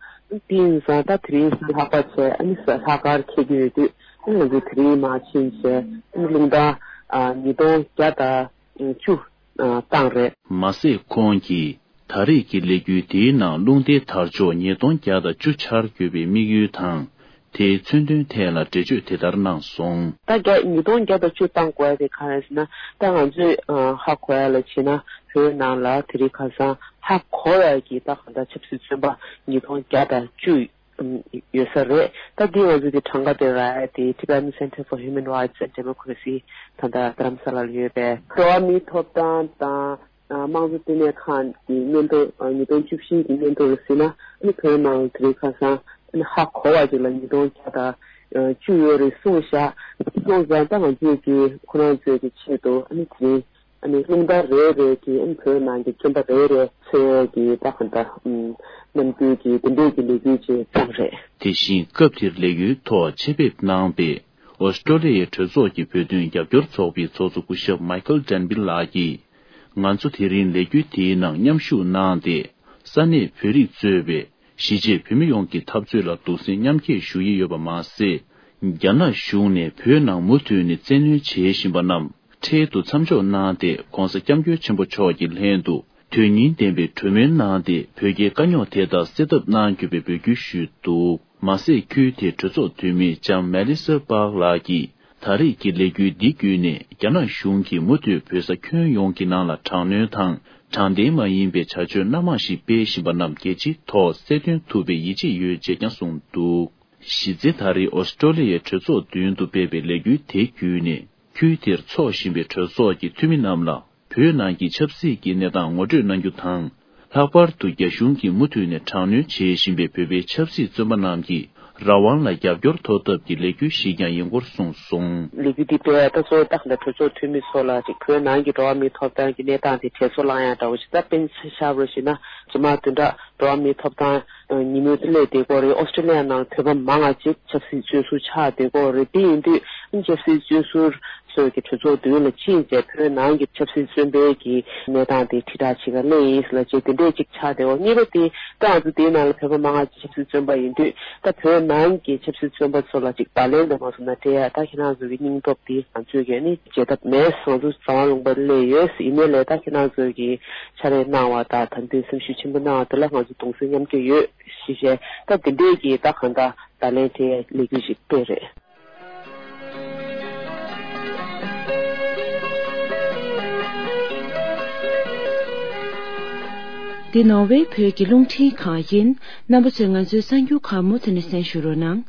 དེ་ཡིན་ཙང་ད་དེ་རིང་གཟའ་ལྷག་པ་བྱས། ཨ་ནི་གཟའ་ལྷག་དཀར་འཁེལ་གྱི་ཡོད་དུས། ཨ་ནི་ང་ཚོ་དེ་རིང་མར་ཕྱིན་བྱས། ཨ་ནི་རླུང་རྟ་ཨ་ཉིས་སྟོང་བརྒྱ་དང་བཅུ་ཨ་བཏང་རེད། མ་ཟད་ཁོང་གིས་ད་རེས་ཀྱི་ལས་འགུལ་དེའི་ནང་རླུང་རྟའི་དར་ལྕོག་ཉིས་སྟོང་བརྒྱ་དང་བཅུ་འཆར་དགོས་པའི་དམིགས་ཡུལ་དང་། དེའི་མཚོན་དོན་ཐད་ལ་འགྲེལ་བརྗོད་དེ་ལྟར་གནང་སོང་། ད་བརྒྱ་ཉིས་སྟོང་བརྒྱ་དང་བཅུ་བཏང་དགོས་ཡ་དེ་གང་རེད་ཟེར་ན། ད་ང་ཚོས་ཨ་ཧ་གོ་ཡ་ལ་བྱས་ན། བོད་ནང་ལ་དེ་རིང་ཁ་སང་ཧ་གོ་ཡ་གི་ད་གང་ལྟར་ཆབ་སྲིད་བཙོན་པ་ཉིས་སྟོང་བརྒྱ་དང་བཅུ་ཡོད་ས་རེད། ད་འདི་ང་ཚོ་དེ་གྲངས་ཀ་དེ་རག་ཡ་དེ་Tibetan Center for Human Rights and Democracy ད་ལྟ་རྡ་རམ་ས་ལ་ལ་ཡོད་པའི་འགྲོ་བ་མིའི་ཐོབ་ཐང་དང་དམངས་གཙོ་ལྟེ་གནས་ཁང་གི་སྙན་ཐོ། ཉིས་སྟོང་བཅུ་བཞི་གི་སྙན་ཐོ་ལ་གཟིགས་ན། ཨ་ནི་བོད་ནང་དེ་རིང་ཁ་སང་ཨ་ནི་ཧ་གོ་བ་ཅིག་ལ་ཉིས་སྟོང་བརྒྱ་དང་བཅུ་ཡོད་རེད་གསུངས་བཞག་སོང་ཙང་། ད་ང་ཚོས་ཀྱི་ཁོ་རང་ཚོའི་གི་ཆེད་དུ་ཨ་ནི་དེ་རིང་ཨ་ནི་རླུང་རྟ་རེ་རེ་གི་ཨ་ནི་བོད་ནང་གི་བཙོན་པ་རེ་རེ་འཚོལ་གྱི་ད་ག་འདྲ་ཨམ་རྣམ་འགྱུར་གྱི་དེ་འདྲས་ཀྱི་ལས་འགུལ་ཅིག་བརྩམས་རེད། དེ་བཞིན་སྐབས་དེར་ལས་འགུལ་ཐོག་ཆེད་ཕེབས་གནང་པའི་ཨོ་སི་ཀྲོ་ལི་ཡའི་གྲོས་ཚོགས་ཀྱི་བོད་དོན་རྒྱབ་སྐྱོར་ཚོགས་པའི་ཚོགས་གཙོ་སྐུ་ཞབས་མའི་ཁལ་ཌན་བིལ་ལགས་ཀྱིས། ང་ཚོ་དེ་རིང་ལས་འགུལ་དེའི་ནང་མཉམ་ཞུགས་གནང་སྟེ། ས་གནས་བོད་རིགས་གཙོས་པའི་གཞིས་བྱེས་བོད་མི་ཡོངས་ཀྱི་འཐབ་རྩོད་ལ་གདུང་སེམས་མཉམ་སྐྱེད་ཞུ་ཡི་ཡོད་པ་མ་ཟད། རྒྱ་ནག་གཞུང་ནས་བོད་ནང་མུ་མཐུད་ནས་བཙན་གནོན་བྱེད་བཞིན་པ་རྣམས་འཕྲལ་དུ་མཚམས་འཇོག་གནང་སྟེ། ྋགོང་ས་ྋསྐྱབས་མགོན་ཆེན་པོ་མཆོག་གི་ལྷན་དུ་དོན་སྙིང་ལྡན་པའི་གྲོས་མོལ་གནང་སྟེ། བོད་རྒྱའི་དཀའ་རྙོག་དེ་དག་སེལ་ཐབས་གནང་རྒྱུ་བའི་འབོད་སྐུལ་ཞུས་འདུག་མ་ཟད། ཁུལ་དེའི་གྲོས་ཚོགས་འཐུས་མི་ལྕམ་མེ་ལི་ས་པཱག་ལགས་ཀྱིས། ད་རེས་ཀྱི་ལས་འགུལ་འདི་བརྒྱུད་ནས། རྒྱ་ནག་གཞུང་གིས་མུ་མཐུད་བོད་ས་ཁྱོན་ཡོངས་ཀྱི་ནང་ལ་དྲག་གནོན་དང་། དྲང་བདེན་མ་ཡིན་པའི་བྱ་སྤྱོད་སྣ་མང་ཞིག་སྤེལ་བཞིན་པ་རྣམས་རྒྱལ་སྤྱིའི་ཐོག་གསལ་སྟོན་ཐུབ་པའི་ཡིད་ཆེས་ཡོད་ཅེས་ཀྱང་གསུངས་འདུག་གཞི་རྩའི་ད་རེས་ཨོ་སི་ཀྲོ་ལི་ཡའི་གྲོས་ཚོགས་མདུན་དུ་སྤེལ་བའི་ལས་འགུལ་དེ་བརྒྱུད་ནས། ཁུལ་དེར་འཚོགས་བཞིན་པའི་གྲོས་ཚོགས་ཀྱི་འཐུས་མི་རྣམས་ལ། བོད་ནང་གི་ཆབ་སྲིད་ཀྱི་གནས་སྟངས་ངོ་སྤྲོད་གནང་རྒྱུ་དང་། ལྷག་པར་དུ་རྒྱ་གཞུང་གིས་མུ་མཐུད་ནས་དྲག་གནོན་བྱེད་བཞིན་པའི་བོད་པའི་ཆབ་སྲིད་བཙོན་པ་རྣམས་ཀྱི་རང་དབང་ལ་རྒྱབ་སྐྱོར་ཐོབ་ཐབས་ཀྱི་ལས་འགུལ་ཞིག་ཀྱང་ཡིན་སྐོར་གསུངས་སོང་། ལས་འགུལ་འདི་སྤེལ་ཡ་ད་གཙོ་བོ་ད་ག་འདྲ་གྲོས་ཚོགས་འཐུས་མི་ཚོ་ལ་ཅིག་བོད་ནང་གི་འགྲོ་བ་མིའི་ཐོབ་ཐང་གི་གནས་སྟངས་དེ་དྲན་གསོ་བསླང་ཡ་འདྲ་བོ་ཞིག་ད་སྤེལ་ཆ་བཞག་པ་ཞིག་ན། རྗེས་མ་བདུན་ཕྲག་འགྲོ་བ་མིའི་ཐོབ་ཐང་ཉིན་མོ་དེ་སླེབས་བསྡད་ཀྱི་ཡོད་རེད། ཨོ་སི་ཀྲོ་ལི་ཡ་ནང་བོད་པ་མང་ང་ཅིག་ཆབ་སྲིད་བཙོན་ཟུར་ཆགས་བསྡད་ཀྱི་ཡོད་རེད། དེ་ཡིན་དུས་ཆབ་སྲིད་བཙོན་ཟུར་ཚོས་ཀྱི་གྲོས་ཚོགས་མདུན་ལ་ཕྱིན་བྱས་བོད་ནང་གི་ཆབ་སྲིད་བཙོན་པའི་གི་གནས་སྟངས་དེ་དྲིལ་བསྒྲགས་བྱེད་ག་སླེབས་ཡིན་ཟེར་ལབ་བྱས་དེ་འདྲས་ཅིག་ཆགས་བསྡད་ཡོད། གཉིས་པ་དེ་ད་ང་ཚོ་དེའི་ནང་ལ་བོད་པ་མང་ང་ཅིག་ཆབ་སྲིད་བཙོན་པ་ཡིན་དུས། ད་བོད་ནང་གི་ཆབ་སྲིད་བཙོན་པ་ཚོ་ལ་ཅིག་བརྡ་ལན་འདྲ་མ་སོང་ན་སྤྲད་ཡ། ད་ཁྱེད་རང་ཚོ་གི་སྙིང་སྟོབས་དེ་ང་ཚོས་ཀྱིས་ནི་བརྗེད་ཐབས་མེད། ང་ཚོ་རྩ་བ་ལུང་པ་སླེབས་ཡོད། ཡིན་ནའི་ལས་ད་ཁྱེད་རང་ཚོ་གིས་ཕྱག་ལས་གནང་བ་དང་དམ་འཛིན་སེམས་ཤུགས་ཆེན་པོ་གནང་བ་དེ་ལ་ང་ཚོ་གདུང་སེམས་མཉམ་སྐྱེད་ཡོད་ཞེས་བཤད། ད་དེ་འདྲས་ཀྱི་ད་གང་ལྟར་བརྡ་ལན་སྤྲད་ཡ་ལས་འགུལ་ཞིག་སྤེལ་རེད། འདི་ནོར་ཝེ་བོད་ཀྱི་རླུང་འཕྲིན་ཁང་ཡིན། རྣམ་པ་ཚོས་ང་ཚོའི་གསར་འགྱུར་ཁག་མུ་མཐུད་ནས་གསན་ཞུ་རོགས་གནང་།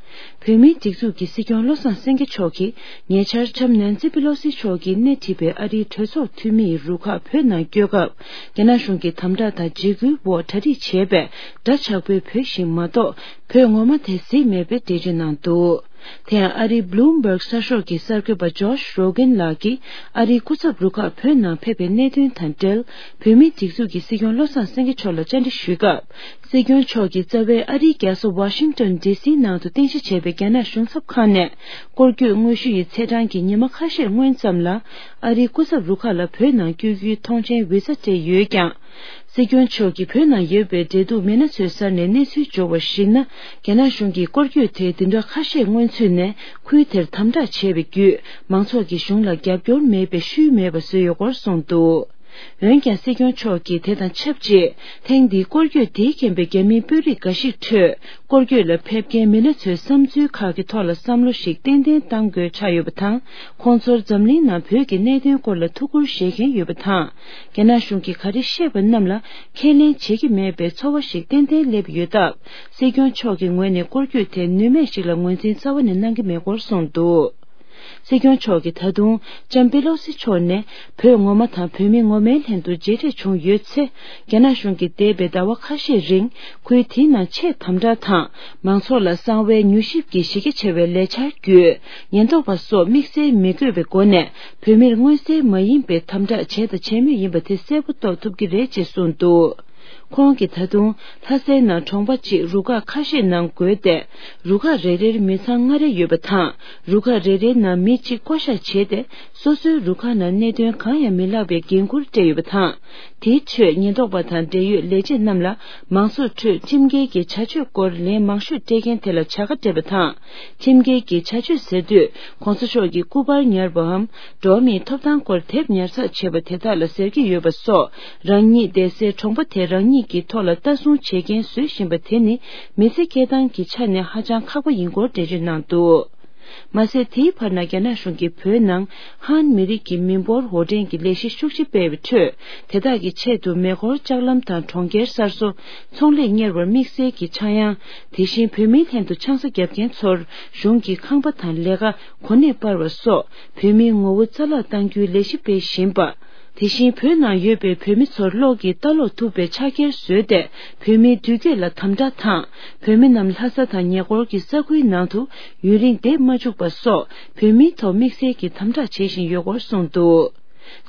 བོད་མིའི་སྒྲིག་འཛུགས་ཀྱི་སྲིད་སྐྱོང་བློ་བཟང་སེང་གེ་མཆོག་གིས་ཉེ་ཆར་ལྕམ་ནན་སི་པི་ལོ་སི་མཆོག་གིས་སྣེ་ཁྲིད་པའི་ཨ་རིའི་གྲོས་ཚོགས་འཐུས་མིའི་རུ་ཁག་བོད་ནང་བསྐྱོད་སྐབས། རྒྱ་ནག་གཞུང་གི་དམ་དྲག་དང་འཇིགས་སྐུལ་འོག་གྲ་སྒྲིག་བྱས་པའི་འདྲ་ཆགས་པོའི་བོད་ཞིག་མ་གཏོགས། བོད་ངོ་མ་དེ་གཟིགས་མེད་པའི་འགྲེལ་བརྗོད་གནང་འདུག་དེ་ཡང་ཨ་རིའི་Bloomberg་གསར་ཤོག་གི་གསར་འགོད་པ་Josh Rogin་ལགས་ཀྱིས་ཨ་རིའི་སྐུ་ཚབ་རུ་ཁག་བོད་ནང་ཕེབས་པའི་གནད་དོན་དང་འབྲེལ། བོད་མིའི་སྒྲིག་འཛུགས་ཀྱི་སྲིད་སྐྱོང་བློ་བཟང་སེང་གེ་མཆོག་ལ་བཅར་འདྲི་ཞུས་སྐབས། སྲིད་སྐྱོང་མཆོག་གིས་རྩ་བའི་ཨ་རིའི་རྒྱལ་ས་Washington D C་ནང་དུ་རྟེན་གཞི་བྱས་པའི་རྒྱ་ནག་གཞུང་ཚབ་ཁང་ནས་སྐོར་སྐྱོད་དངོས་ཞུ་ཡི་ཚེས་གྲངས་ཀྱི་ཉི་མ་ཁ་ཤས་སྔོན་ཙམ་ལ་ཨ་རིའི་སྐུ་ཚབ་རུ་ཁག་ལ་བོད་ནང་བསྐྱོད་རྒྱུའི་ཐོངས་མཆན་ཝི་ས་སྤྲད་ཡོད་ཀྱང་། སྲིད་སྐྱོང་མཆོག་གིས་བོད་ནང་ཡོད་པའི་འབྲེལ་གཏུག་མི་སྣ་ཚོའི་སར་ནས་གནས་ཚུལ་འབྱོར་བར་གཞིགས་ན། རྒྱ་ནག་གཞུང་གིས་སྐོར་སྐྱོད་དེ་བདུན་ཕྲག་ཁ་ཤས་སྔོན་ཚུད་ནས་ཁུལ་དེར་དམ་དྲག་བྱས་པའི་བརྒྱུད། མང་ཚོགས་ཀྱིས་གཞུང་ལ་རྒྱབ་སྐྱོར་མེད་པའི་ཤུལ་མེད་པ་བཟོས་ཡོད་སྐོར་གསུངས་འདུག་འོན་ཀྱང་། སྲིད་སྐྱོང་མཆོག་གིས་དེ་དང་ཆབས་ཅིག་ཐེངས་འདིའི་སྐོར་སྐྱོད་དེས་མཁྱེན་པའི་རྒྱ་མིའི་དཔོན་རིགས་འགའ་ཞིག་ཁྲོད། སྐོར་སྐྱོད་ལ་ཕེབས་མཁན་མི་སྣ་ཚོའི་བསམ་ཚུལ་ཁག་གི་ཐོག་ལ་བསམ་བློ་ཞིག་ཏན་ཏན་གཏང་དགོས་ཆགས་ཡོད་པ་དང་། ཁོང་ཚོར་འཛམ་གླིང་ནང་བོད་ཀྱི་གནད་དོན་སྐོར་ལ་ཐུགས་ཁུར་བཞེས་མཁན་ཡོད་པ་དང་། རྒྱ་ནག་གཞུང་གིས་ག་རེ་བཤད་པ་རྣམས་ལ་ཁས་ལེན་བྱེད་ཀྱི་མེད་པའི་ཚོར་བ་ཞིག་ཏན་ཏན་སླེབས་ཡོད་སྟབས། སྲིད་སྐྱོང་མཆོག་གི་ངོས་ནས་སྐོར་སྐྱོད་དེ་ནུས་མེད་ཞིག་ལ་ངོས་འཛིན་རྩ་བ་ནས་གནང་གི་མེད་སྐོར་གསུངས་འདུག་སྲིད་སྐྱོང་མཆོག་གིས་ད་དུང་ལྕམ་པེ་ལོ་སི་མཆོག་ནས་བོད་ངོ་མ་དང་བོད་མི་ངོ་མའི་ལྷན་དུ་མཇལ་འཕྲད་བྱུང་ཡོད་ཚེ། རྒྱ་ནག་གཞུང་གིས་འདས་པའི་ཟླ་བ་ཁ་ཤས་རིང་ཁུལ་དེའི་ནང་ཆེས་དམ་དྲག་དང་མང་ཚོགས་ལ་གསང་བའི་མྱུལ་ཞིབ་ཀྱི་གཞི་རྒྱ་ཆེ་བའི་ལས་འཆར་བརྒྱུད། ཉེན་རྟོག་པ་སོགས་དམིགས་བསལ་མི་དགོས་པའི་སྒོ་ནས་བོད་མིར་མངོན་གསལ་མ་ཡིན་པའི་དམ་དྲག་བྱས་དང་བྱེད་མུས་ཡིན་པ་དེ་གསལ་པོ་རྟོགས་ཐུབ་ཀྱི་རེད་ཅེས་གསུངས་འདུག་ཁོང་གིས་ད་དུང་ལྷ་སའི་ནང་གྲོང་པ་གཅིག་རུ་ཁག་ཁ་ཤས་ནང་བགོས་ཏེ། རུ་ཁག་རེ་རེར་མི་ཚང་ལྔ་རེ་ཡོད་པ་དང་། རུ་ཁག་རེ་རེའི་ནང་མི་གཅིག་བསྐོ་བཞག་བྱས་ཏེ། སོ་སོའི་རུ་ཁག་ནང་གནད་དོན་གང་ཡང་མི་ལྷག་པའི་འགན་འཁུར་སྤྲད་ཡོད་པ་དང་། དེའི་ཁྲོད་ཉེན་རྟོག་པ་དང་འབྲེལ་ཡོད་ལས་བྱེད་རྣམས་ལ་མང་ཚོགས་ཁྲོད་ཁྲིམས་འགལ་གྱི་བྱ་སྤྱོད་སྐོར་ལན་མང་ཤོས་སྤྲད་མཁན་དེ་ལ་བྱ་དགའ་སྤྲད་པ་དང་། ཁྲིམས་འགལ་གྱི་བྱ་སྤྱོད་ཟེར་དུས་གོང་ས་མཆོག་གིས་སྐུ་པར་ཉར་བའམ། འགྲོ་བ་མིའི་ཐོབ་ཐང་སྐོར་དེབ་ཉར་ཚགས་བྱས་པ་དེ་དག་ལ་ཟེར་གྱི་ཡོད་པ་སོགས། རང་ཉིད་བསྡད་སའི་གྲོང་པ་དེ་རང་ཉིད་ཀྱི་ཐོག་ལ་ལྟ་སྲུང་བྱེད་མཁན་བཟོ་བཞིན་པ་དེ་ནི་མི་ཚེ་སྐྱེལ་སྟངས་ཀྱི་ཆ་ནས་ཧ་ཅང་ཁག་པོ་ཡིན་སྐོར་འགྲེལ་བརྗོད་གནང་འདུག་མ་ཟད། དེའི་བར་ན་རྒྱ་ནག་གཞུང་གིས་བོད་ནང་ཧན་མི་རིགས་ཀྱི་མི་འབོར་འོར་འདྲེན་གྱི་ལས་གཞི་ཤུགས་ཆེ་སྤེལ་བའི་ཁྲོད། དེ་དག་གི་ཆེད་དུ་མེ་འཁོར་ལྕགས་ལམ་དང་གྲོང་ཁྱེར་གསར་བཟོ། ཚོང་ལས་གཉེར་བར་དམིགས་བསལ་གྱི་ཆག་ཡང་། དེ་བཞིན་བོད་མིའི་ལྷན་དུ་ཆང་ས་བརྒྱབ་མཁན་ཚོར་གཞུང་གིས་ཁང་པ་དང་ལས་ཀ། གོ་གནས་སྤར་བ་སོགས་བོད་མིའི་ངོ་བོ་རྩ་བརླག་གཏང་རྒྱུའི་ལས་གཞི་སྤེལ་བཞིན་པ། དེ་བཞིན་བོད་ནང་ཡོད་པའི་བོད་མི་ཚོར་གློག་གིས་ལྟ་ཀློག་ཐུབ་པའི་ཕྱག་འཁྱེར་བཟོས་ཏེ། བོད་མིའི་འདུས་སྐྱོད་ལ་དམ་དྲག་དང་། བོད་མི་རྣམས་ལྷ་ས་དང་ཉེ་འཁོར་གྱི་ས་ཁུལ་ནང་དུ་ཡུན་རིང་བསྡད་མ་བཅུག་པ་སོགས་བོད་མིའི་ཐོག་དམིགས་བསལ་གྱི་དམ་དྲག་བྱེད་བཞིན་ཡོད་སྐོར་གསུངས་འདུག་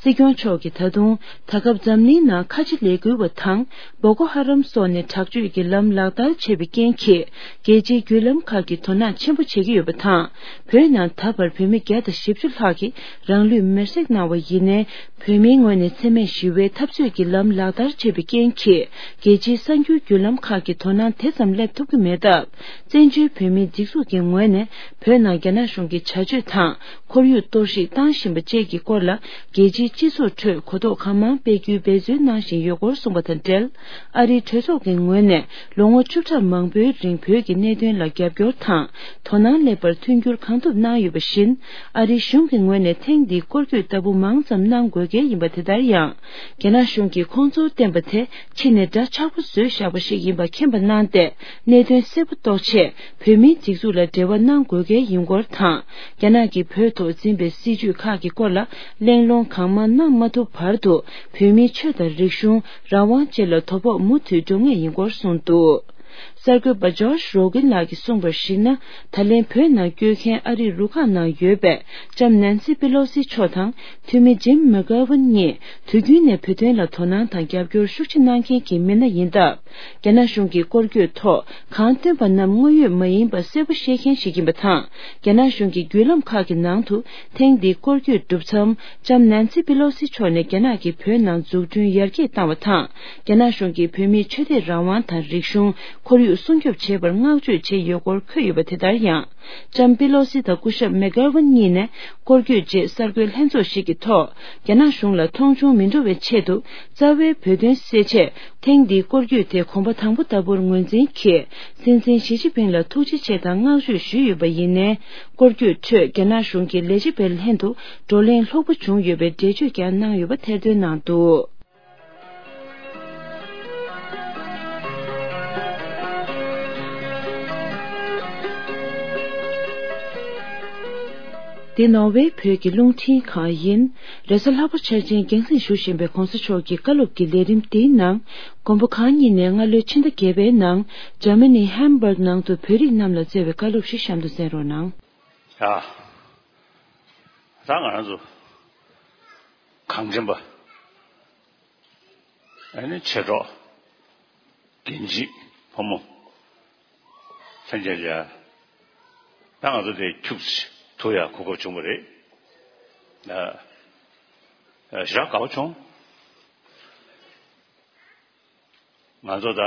སྲིད་སྐྱོང་མཆོག་གིས་ད་དུང་ད་སྐབས་འཛམ་གླིང་ནང་ཁ་ཆེ་ལས་འགུལ་བ་དང་། སྦོ་ཀོ་ཧ་རམ་སོགས་ནས་དྲག་སྤྱོད་ཀྱི་ལམ་ལག་བསྟར་བྱས་པའི་རྐྱེན་གྱིས། རྒྱལ་སྤྱིའི་བརྒྱུད་ལམ་ཁག་གིས་དོ་སྣང་ཆེན་པོ་བྱེད་ཀྱི་ཡོད་པ་དང་། བོད་ནང་ད་བར་བོད་མི་བརྒྱ་དང་བཞི་བཅུ་ལྷག་གིས་རང་ལུས་མེར་སྲེག་གནང་བ་ཡིན་ནའི། བོད་མིའི་ངོས་ནས་འཚེ་མེད་ཞི་བའི་འཐབ་རྩོད་ཀྱི་ལམ་ལག་བསྟར་བྱས་པའི་རྐྱེན་གྱིས། རྒྱལ་སྤྱིའི་གསར་འགྱུར་བརྒྱུད་ལམ་ཁག་གིས་དོ་སྣང་དེ་ཙམ་སླེབས་ཐུབ་ཀྱི་མེད་སྟབས། བཙན་བྱོལ་བོད་མིའི་སྒྲིག་འཛུགས་ཀྱི་ངོས་ནས་བོད་ནང་རྒྱ་ནག་གཞུང་གི་བྱ་སྤྱོད་དང་། ཁོར་ཡུག་གཏོར་བཤིག་བཏང་བཞིན་པ་བཅས་ཀྱི་སྐོར་ལ། རྒྱལ་སྤྱིའི་སྤྱི་ཚོགས་ཁྲོད་གོ་རྟོགས་གང་མང་སྤེལ་རྒྱུའི་འབད་བརྩོན་གནང་བཞིན་ཡོད་སྐོར་གསུངས་པ་དང་འབྲེལ། ཨ་རིའི་གྲོས་ཚོགས་ཀྱི་ངོས་ནས་ལོ་ངོ་བཅུ་ཕྲག་མང་པོའི་རིང་བོད་ཀྱི་གནད་དོན་ལ་རྒྱབ་སྐྱོར་དང་། དོ་སྣང་སླེབས་པར་མཐུན་འགྱུར་གང་ཐུབ་གནང་ཡོད་པ་བཞིན། ཨ་རིའི་གཞུང་གི་ངོས་ནས་ཐེངས་འདིའི་སྐོར་སྐྱོད་ལྟ་བུ་མང་ཙམ་གནང་དགོས་གལ་ཡིན་པ་དེ་ལྟར་ཡང་། རྒྱ་ནག་གཞུང་གིས་ཁོང་ཚོར་བསྟན་པ་དེ་ཕྱི་ནས་འདྲ་ཆགས་པོ་བཟོས་བཞག་པ་ཞིག་ཡིན་པ་མཁྱེན་པ་གནང་སྟེ། གནད་དོན་གསལ་པོ་རྟོགས་ཆེད། བོད་མིའི་སྒྲིག་འཛུགས་ལ་འབྲེལ་བ་གནང་དགོས་གལ་ཡིན་སྐོར་དང་། རྒྱ་ནག་གིས་བོད་ཐོག་འཛིན་པའི་སྲིད་བྱུས་ཁག་གི་སྐོར་ལ་གླེང་སློང་གང་མང་གནང་མ་ཐུབ་བར་དུ། བོད་མིའི་ཆོས་དང་རིག་གཞུང་། རང་དབང་བཅས་ལ་དོ་ཕོག་མུ་མཐུད་འགྲོ་ངེས་ཡིན་སྐོར་གསུངས་འདུག་གསར་འགོད་པ་ཇོརྗ་རོ་གིན་ལགས་ཀྱིས་གསུངས་པར་གཞིགས་ན། ད་ལན་བོད་ནང་བསྐྱོད་མཁན་ཨ་རིའི་རུ་ཁག་ནང་ཡོད་པའི་ལྕམ་ནན་སི་པེ་ལོ་སི་མཆོག་དང་། འཐུས་མི་ཇིམ་མེག་གྷ་ཝན་གཉིས་དུས་རྒྱུན་ནས་བོད་དོན་ལ་དོ་སྣང་དང་རྒྱབ་སྐྱོར་ཤུགས་ཆེ་གནང་མཁན་གྱི་མི་སྣ་ཡིན་སྟབས། རྒྱ་ནག་གཞུང་གི་སྐོར་སྐྱོད་ཐོག་གང་བཏོན་པ་རྣམས་དངོས་ཡོད་མ་ཡིན་པ་གསལ་པོ་ཤེས་མཁན་ཞིག་ཡིན་པ་དང་། རྒྱ་ནག་གཞུང་གི་བརྒྱུད་ལམ་ཁག་གི་ནང་དུ་ཐེངས་འདིའི་སྐོར་སྐྱོད་གྲུབ་མཚམས། ལྕམ་ནན་སི་པེ་ལོ་སི་མཆོག་ནས་རྒྱ་ནག་གིས་བོད་ནང་འཛུགས་སྐྲུན་ཡར་རྒྱས་བཏང་བ་དང་། རྒྱ་ནག་གཞུང་གིས་བོད་མིའི་ཆོས་དད་རང་དབང་དང་རིག་གཞུང་། ཁོར་ཡུག་སྲུང་སྐྱོབ་བྱེད་པར་བསྔགས་བརྗོད་བྱས་ཡོད་སྐོར་འཁོད་ཡོད་པ་དེ་ལྟར་ཡང་། ལྕམ་པེ་ལོ་སི་དང་སྐུ་ཞབས་མེག་གྷ་ཝན་གཉིས་ནས་སྐོར་སྐྱོད་རྗེས་གསར་འགོད་ལྷན་ཚོགས་ཤིག་གི་ཐོག་རྒྱ་ནག་གཞུང་ལ་མཐོང་ཆུང་མི་འགྲོ་བའི་ཆེད་དུ། རྩ་བའི་བོད་དོན་སེལ་ཆེད་ཐེངས་འདིའི་སྐོར་སྐྱོད་དེ་གོམ་པ་དང་པོ་ལྟ་བུར་ངོས་འཛིན་གྱིས། སྲིད་འཛིན་ཞི་ཅིན་ཕིང་ལ་ཐུགས་རྗེ་ཆེ་དང་བསྔགས་བརྗོད་ཞུས་ཡོད་པ་ཡིན་ནའི། སྐོར་སྐྱོད་ཁྲོད་རྒྱ་ནག་གཞུང་གི་ལས་བྱེད་པའི་ལྷན་དུ་བགྲོ་གླེང་ལྷུག་པོ་བྱུང་ཡོད་པའི་འགྲེལ་བརྗོད་ཀྱང་གནང་ཡོད་པ་ཐེར་འདོན་གནང་འདུག་འདི་ནོར་ཝེ་བོད་ཀྱི་རླུང་འཕྲིན་ཁང་ཡིན། རེས་གཟའ་ལྷག་པ་འཆར་ཅན་རྒྱང་སྲིང་ཞུ་བཞིན་པའི་གོང་ས་མཆོག་གི་བཀའ་སློབ་ཀྱི་ལས་རིམ་འདིའི་ནང་། མགོན་པོ་གང་ཉིད་ནས་སྔ་ལོའི་ཕྱི་ཟླ་བརྒྱད་པའི་ནང་འཇར་མ་ནི་ཧམ་སྦུག་ནང་དུ་བོད་རིགས་རྣམས་ལ་སྩལ་བའི་བཀའ་སློབ་ཞིག་གཤམ་དུ་གསན་རོགས་གནང་། ཡ། ད་ང་རང་ཚོ་གངས་ཅན་པ། ཨ་ནི་མཆེད་གྲོགས། རྒན་བྱིས་ཕོ་མོ། ལྷན་རྒྱས་ལ། ད་ང་ཚོ་དེ་ཁྱུག་ཙམ་དུ་ཡང་གོ་སྐབས་བྱུང་བ་རེད། ཨ། ཨ། ཞེ་དྲག་དགའ་པོ་བྱུང་། ང་ཚོ་ད། ཨ།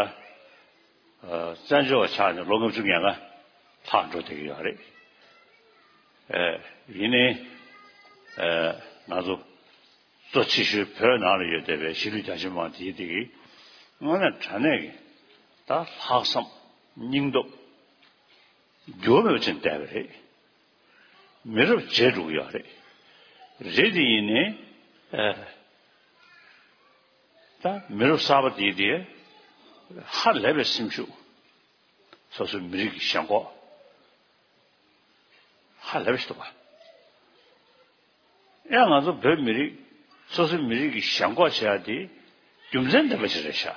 བཙན་བྱོལ་བ་ཆགས་ནས་ལོ་ལྔ་བཅུ་ང་ལྔ་ལྷག་འགྲོ་བསྡད་ཀྱི་ཡོད་རེད། ཨ། ཡིན་ནའི། ཨ། ང་ཚོ་གཙོ་ཆེ་ཤོས་བོད་ནང་ལ་ཡོད་བསྡད་པའི་གཞིས་ལུས་རྒྱ་ཆེ་མི་མང་དེའི་སྟེང་གི་དངོས་གནས་དྲང་གནས་ཀྱི་ད་ལྷག་བསམ་སྙིང་སྟོབས་འགྱུར་བ་མེད་པ་ཅན་བསྡད་པ་རེད། མི་རབས་བརྗེ་འགྲོ་གི་ཡོད་རེད། རེད་དེ་ཡིན་ནའི། ཨ། ད་མི་རབས་གསར་པ་དེའི་དེ་ཧ་ལས་པའི་སེམས་ཤུགས། སོ་སོའི་མི་རིགས་ཀྱི་ཞེན་ཁོག་ཧ་ལས་པ་ཞིག་འདུག་ག་ཡང་ང་ཚོ་བོད་མི་རིགས་སོ་སོའི་མི་རིགས་ཀྱི་ཞེན་ཁོག་བྱེད་ཡ་དེ་རྒྱུ་མཚན་ལྡན་པ་ཞིག་རེད་ཤག་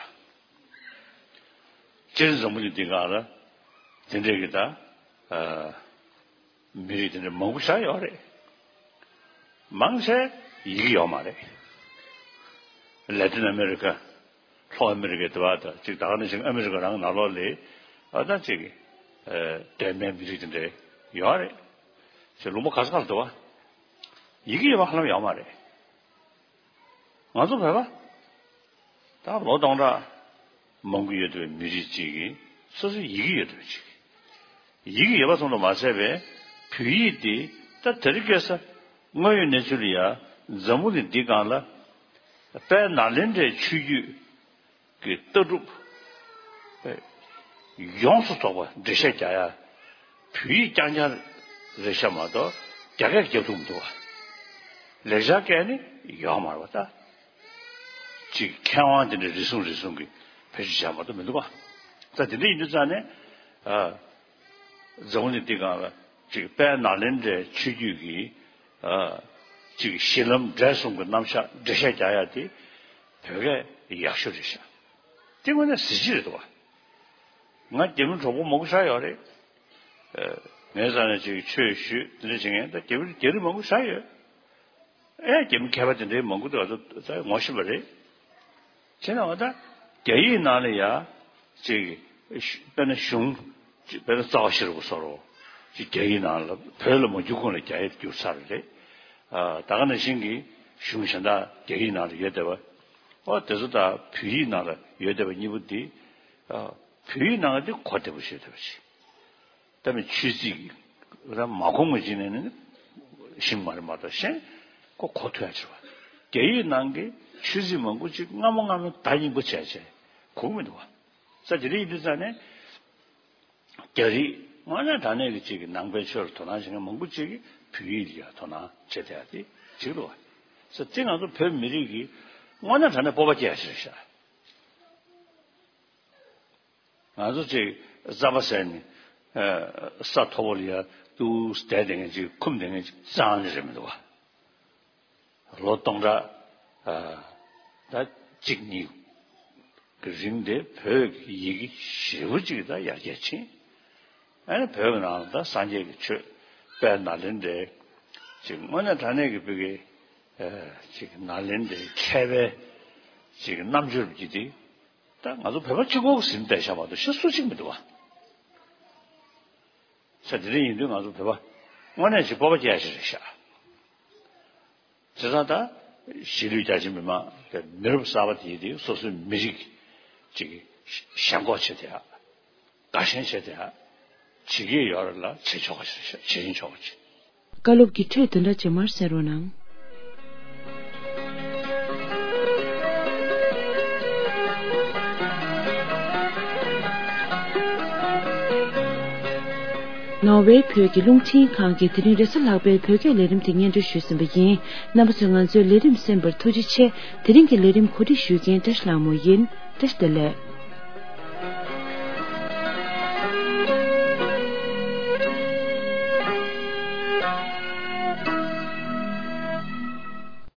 སྤྱིར་འཛམ་བུ་གླིང་འདི་སྒང་ལ་དེ་འདྲའི་གི་ད། ཨ། མི་རིགས་དེ་འདྲ་མང་པོ་ཞིག་ཡོད་རེད། མང་ཆེ་ཡི་གེ་ཡོད་མ་རེད། ལེ་ཏིན་ཨ་མེ་རི་ཀ། ལྷོ་ཨ་མེ་རི་ཀའི་དེ་བ་དང་གཅིག་ད་ག་ནང་བཞིན་ཨ་མེ་རི་ཀ་རང་ནང་ལོགས་ལ། ཨ། ད་གཅིག་ཨ། གདོད་མའི་མི་རིགས་དེ་འདྲ་ཡོད་རེད། ཅིག་ལུང་པ་ག་ས་ག་ལ་འདུག་བ། ཡི་གེ་ཡོད་པ་ཧ་ལམ་ཡོད་མ་རེད། ང་ཚོ་བོད་པ། ད་ལོ་སྟོང་ཕྲག་མང་པོ་ཡོད་པའི་མི་རིགས་གཅིག་གིས་སོ་སོའི་ཡི་གེ་ཡོད་པ་གཅིག་ཡི་གེ་ཡོད་པ་ཙམ་དུ་མ་ཟད་པའི་བོད་ཡིག་འདི་ད་དེ་རིང་ཁ་སང་དངོས་ཡོད་གནས་ཚུལ་ལ་ཡ་འཛམ་བུ་གླིང་འདི་སྒང་ལ་དཔལ་ནཱ་ལེནྡྲའི་ཆོས་བརྒྱུད་ཀྱི་ལྟ་གྲུབ་ཡོངས་སུ་རྫོགས་པ་འགྲེལ་བཤད་རྒྱག་ཡ། བོད་ཡིག་རྐྱང་རྐྱང་རེད་ཤག་མ་གཏོགས་རྒྱ་སྐད་རྒྱབ་ཐུབ་མི་འདུག་བ། ལེགས་སྦྱར་སྐད་ནི་ཡོད་མ་རེད་བ་ད། ཅིག་མཁས་དབང་དེ་འདྲ་རེ་ཟུང་རེ་ཟུང་གིས་བེད་སྤྱོད་བྱས་མ་གཏོགས་མི་འདུག་བ། ད་དེ་འདྲ་ཡིན་དུས་ཙང་ནས། ཨ། འཛམ་བུ་གླིང་འདི་སྒང་ལ་ཅིག་དཔལ་ནཱ་ལེནྡྲའི་ཆོས་བརྒྱུད་ཀྱི། ཨ། ཅིག་གཞི་ལམ་འབྲས་གསུམ་གྱི་རྣམ་གཞག་འགྲེལ་བཤད་རྒྱག་ཡ་དེ་བོད་སྐད་ཡག་ཤོས་རེད་ཤག་དེ་དངོས་གནས་གཟི་བརྗིད་རེད་འདུག་བ། ང་རྒྱ་མི་གྲོགས་པོ་མང་པོ་ཞེ་དྲག་ཡོད་རེད། ཨ། ངའི་རྩ་ནས་ཅིག་ཆོས་ཞུས་དེ་འདྲ་བྱེད་མཁན་ད་རྒྱ་མི་རྒྱ་རིགས་མང་པོ་ཞེ་དྲག་ཡོད། ཨེ། རྒྱ་མི་མཁས་པ་དེ་འདྲའི་མང་པོ་འདུག་ང་ཚོ་ད་ངོ་ཤེས་པ་རེད། བྱས་ན་འོ་ད་རྒྱ་ཡིག་ནང་ལ་ཡ་ཅིག་དཔེར་ན་གཞུང་། ཅིག་དཔེར་ན་རྩ་བ་ཤེས་རབ་སོགས་རོ། ཅིག་རྒྱ་ཡིག་ནང་ལ་བོད་ལ་མ་བསྒྱུར་གོང་ལ་རྒྱ་ཡིག་བསྒྱུར་ཚར་རེད། ཨ། ད་ག་ནང་བཞིན་གྱི་གཞུང་གཞན་དག་རྒྱ་ཡིག་ནང་ལ་ཡོད་བསྡད་པ། ཨོ་དེ་ཚོ་དང་བོད་ཡིག་ནང་ལ་ཡོད་བསྡད་པ་གཉིས་པོ་འདི། ཨ། བོད་ཡིག་ནང་ལ་འདི་གོ་བདེ་པོ་ཞིག་ཡོད་བསྡད་པ་ཞིག་ད་མི་ཆོས་ཚིག་ར་མ་གོ་ངོས་ཅིག་ནས་ནི་ཤེས་མ་རེད་མ་གཏོགས་གཞན་ཁོ་གོ་ཐུབ་ཡ་ཆེ་བ། རྒྱ་ཡིག་ནང་གི་ཆོས་ཚིག་མང་པོ་ཅིག་སྔ་མོ་སྔ་མོ་ད་སྙིང་པོ་བྱས་བྱས་གོ་གི་མི་འདུག་བ། ས་དེ་རིགས་ཡིན་དུས་ཙང་ནས་རྒྱ་རིགས་དངོས་གནས་དྲང་གནས་ཀྱི་ཅིག་གི་ནང་པའི་ཆོས་ལ་དོ་སྣང་བྱེད་མཁན་མང་པོ་ཅིག་གིས་བོད་ཡིག་ལ་ཡང་དོ་སྣང་བྱེད་བསྡད་ཡ་དེ་ཅིག་འདུག་བ། ས་དེ་ང་ཚོ་བོད་མི་རིགས་ཀྱི་དངོས་གནས་དྲང་གནས་སྤོབས་པ་སྐྱེ་ཡ་ཞིག་རེད་ཤག་ང་ཚོ་ཅིག་རྩམ་པ་ཟས་ནས། ཨ། ས་མཐོ་པོ་ལ་ཡ་ཏུས་བསྡད་བསྡད་མཁན་ཅིག་འཁུམས་བསྡད་མཁན་ཅིག་རྩ་ནས་རེད་མི་འདུག་བ། ལོ་སྟོང་ཕྲག་ཨ། ད་གཅིག་གཉིས་ཀྱི་རིང་དེ་བོད་ཀྱི་ཡི་གེ་ཞེ་པོ་ཅིག་ད་ཡར་རྒྱས་ཕྱིན། ཨ་ནི་བོད་ཀྱི་ནང་ལ་ད་སངས་རྒྱས་ཀྱི་ཆོས་དཔལ་ནཱ་ལེནྡྲའི་ཅིག་དངོས་གནས་དྲང་གནས་ཀྱི་བོད་ཀྱི། ཨ། ཅིག་ནཱ་ལེནྡྲའི་མཁས་པའི་ཅིག་རྣམ་འགྱུར་གྱི་དེ། ད་ང་ཚོ་བོད་པ་གཅིག་པོ་གིས་ཟིན་བསྡད་ཤག་མ་གཏོགས་གཞན་སུ་གཅིག་མི་འདུག་བ། ས་དེ་འདྲ་ཡིན་དུས་ང་ཚོ་བོད་པ་དངོས་གནས་ཅིག་སྤོབས་པ་སྐྱེ་ཡ་ཞིག་རེད་ཤག་བྱས་ཙང་ད་གཞིས་ལུས་རྒྱ་ཆེ་མི་མང་དེ་མི་རབས་གསར་པ་དེ་དེ་སོ་སོའི་མི་རིགས་ཅིག་ཞེན་ཁོག་བྱེད་དེ་ཡ། དགའ་ཞེན་བྱེད་དེ་ཡ། བྱེད་ཀྱི་ཡོད་རེད་ལ་བྱེད་ཆོག་པ་ཞིག་རེད་ཤག་བྱེད་རིན་ཆོག་པ་ཅིག་བཀའ་སློབ་ཀྱི་འཕྲོས་དེ་འདྲ་རྗེས་མར་གསན་རོགས་གནང་། ནོར་ཝེ་བོད་ཀྱི་རླུང་འཕྲིན་ཁང་གིས་དེ་རིང་རེས་གཟའ་ལྷག་པའི་བོད་སྐད་ལས་རིམ་དེ་སྙན་སྒྲོན་ཞུས་ཟིན་པ་ཡིན། རྣམ་པ་ཚོས་ང་ཚོའི་ལས་རིམ་གསན་པར་ཐུགས་རྗེ་ཆེ། དེ་རིང་གི་ལས་རིམ་གོ་སྒྲིག་ཞུ་མཁན་བཀྲ་ཤིས་ལྷ་མོ་ཡིན། བཀྲ་ཤིས་བདེ་ལེགས།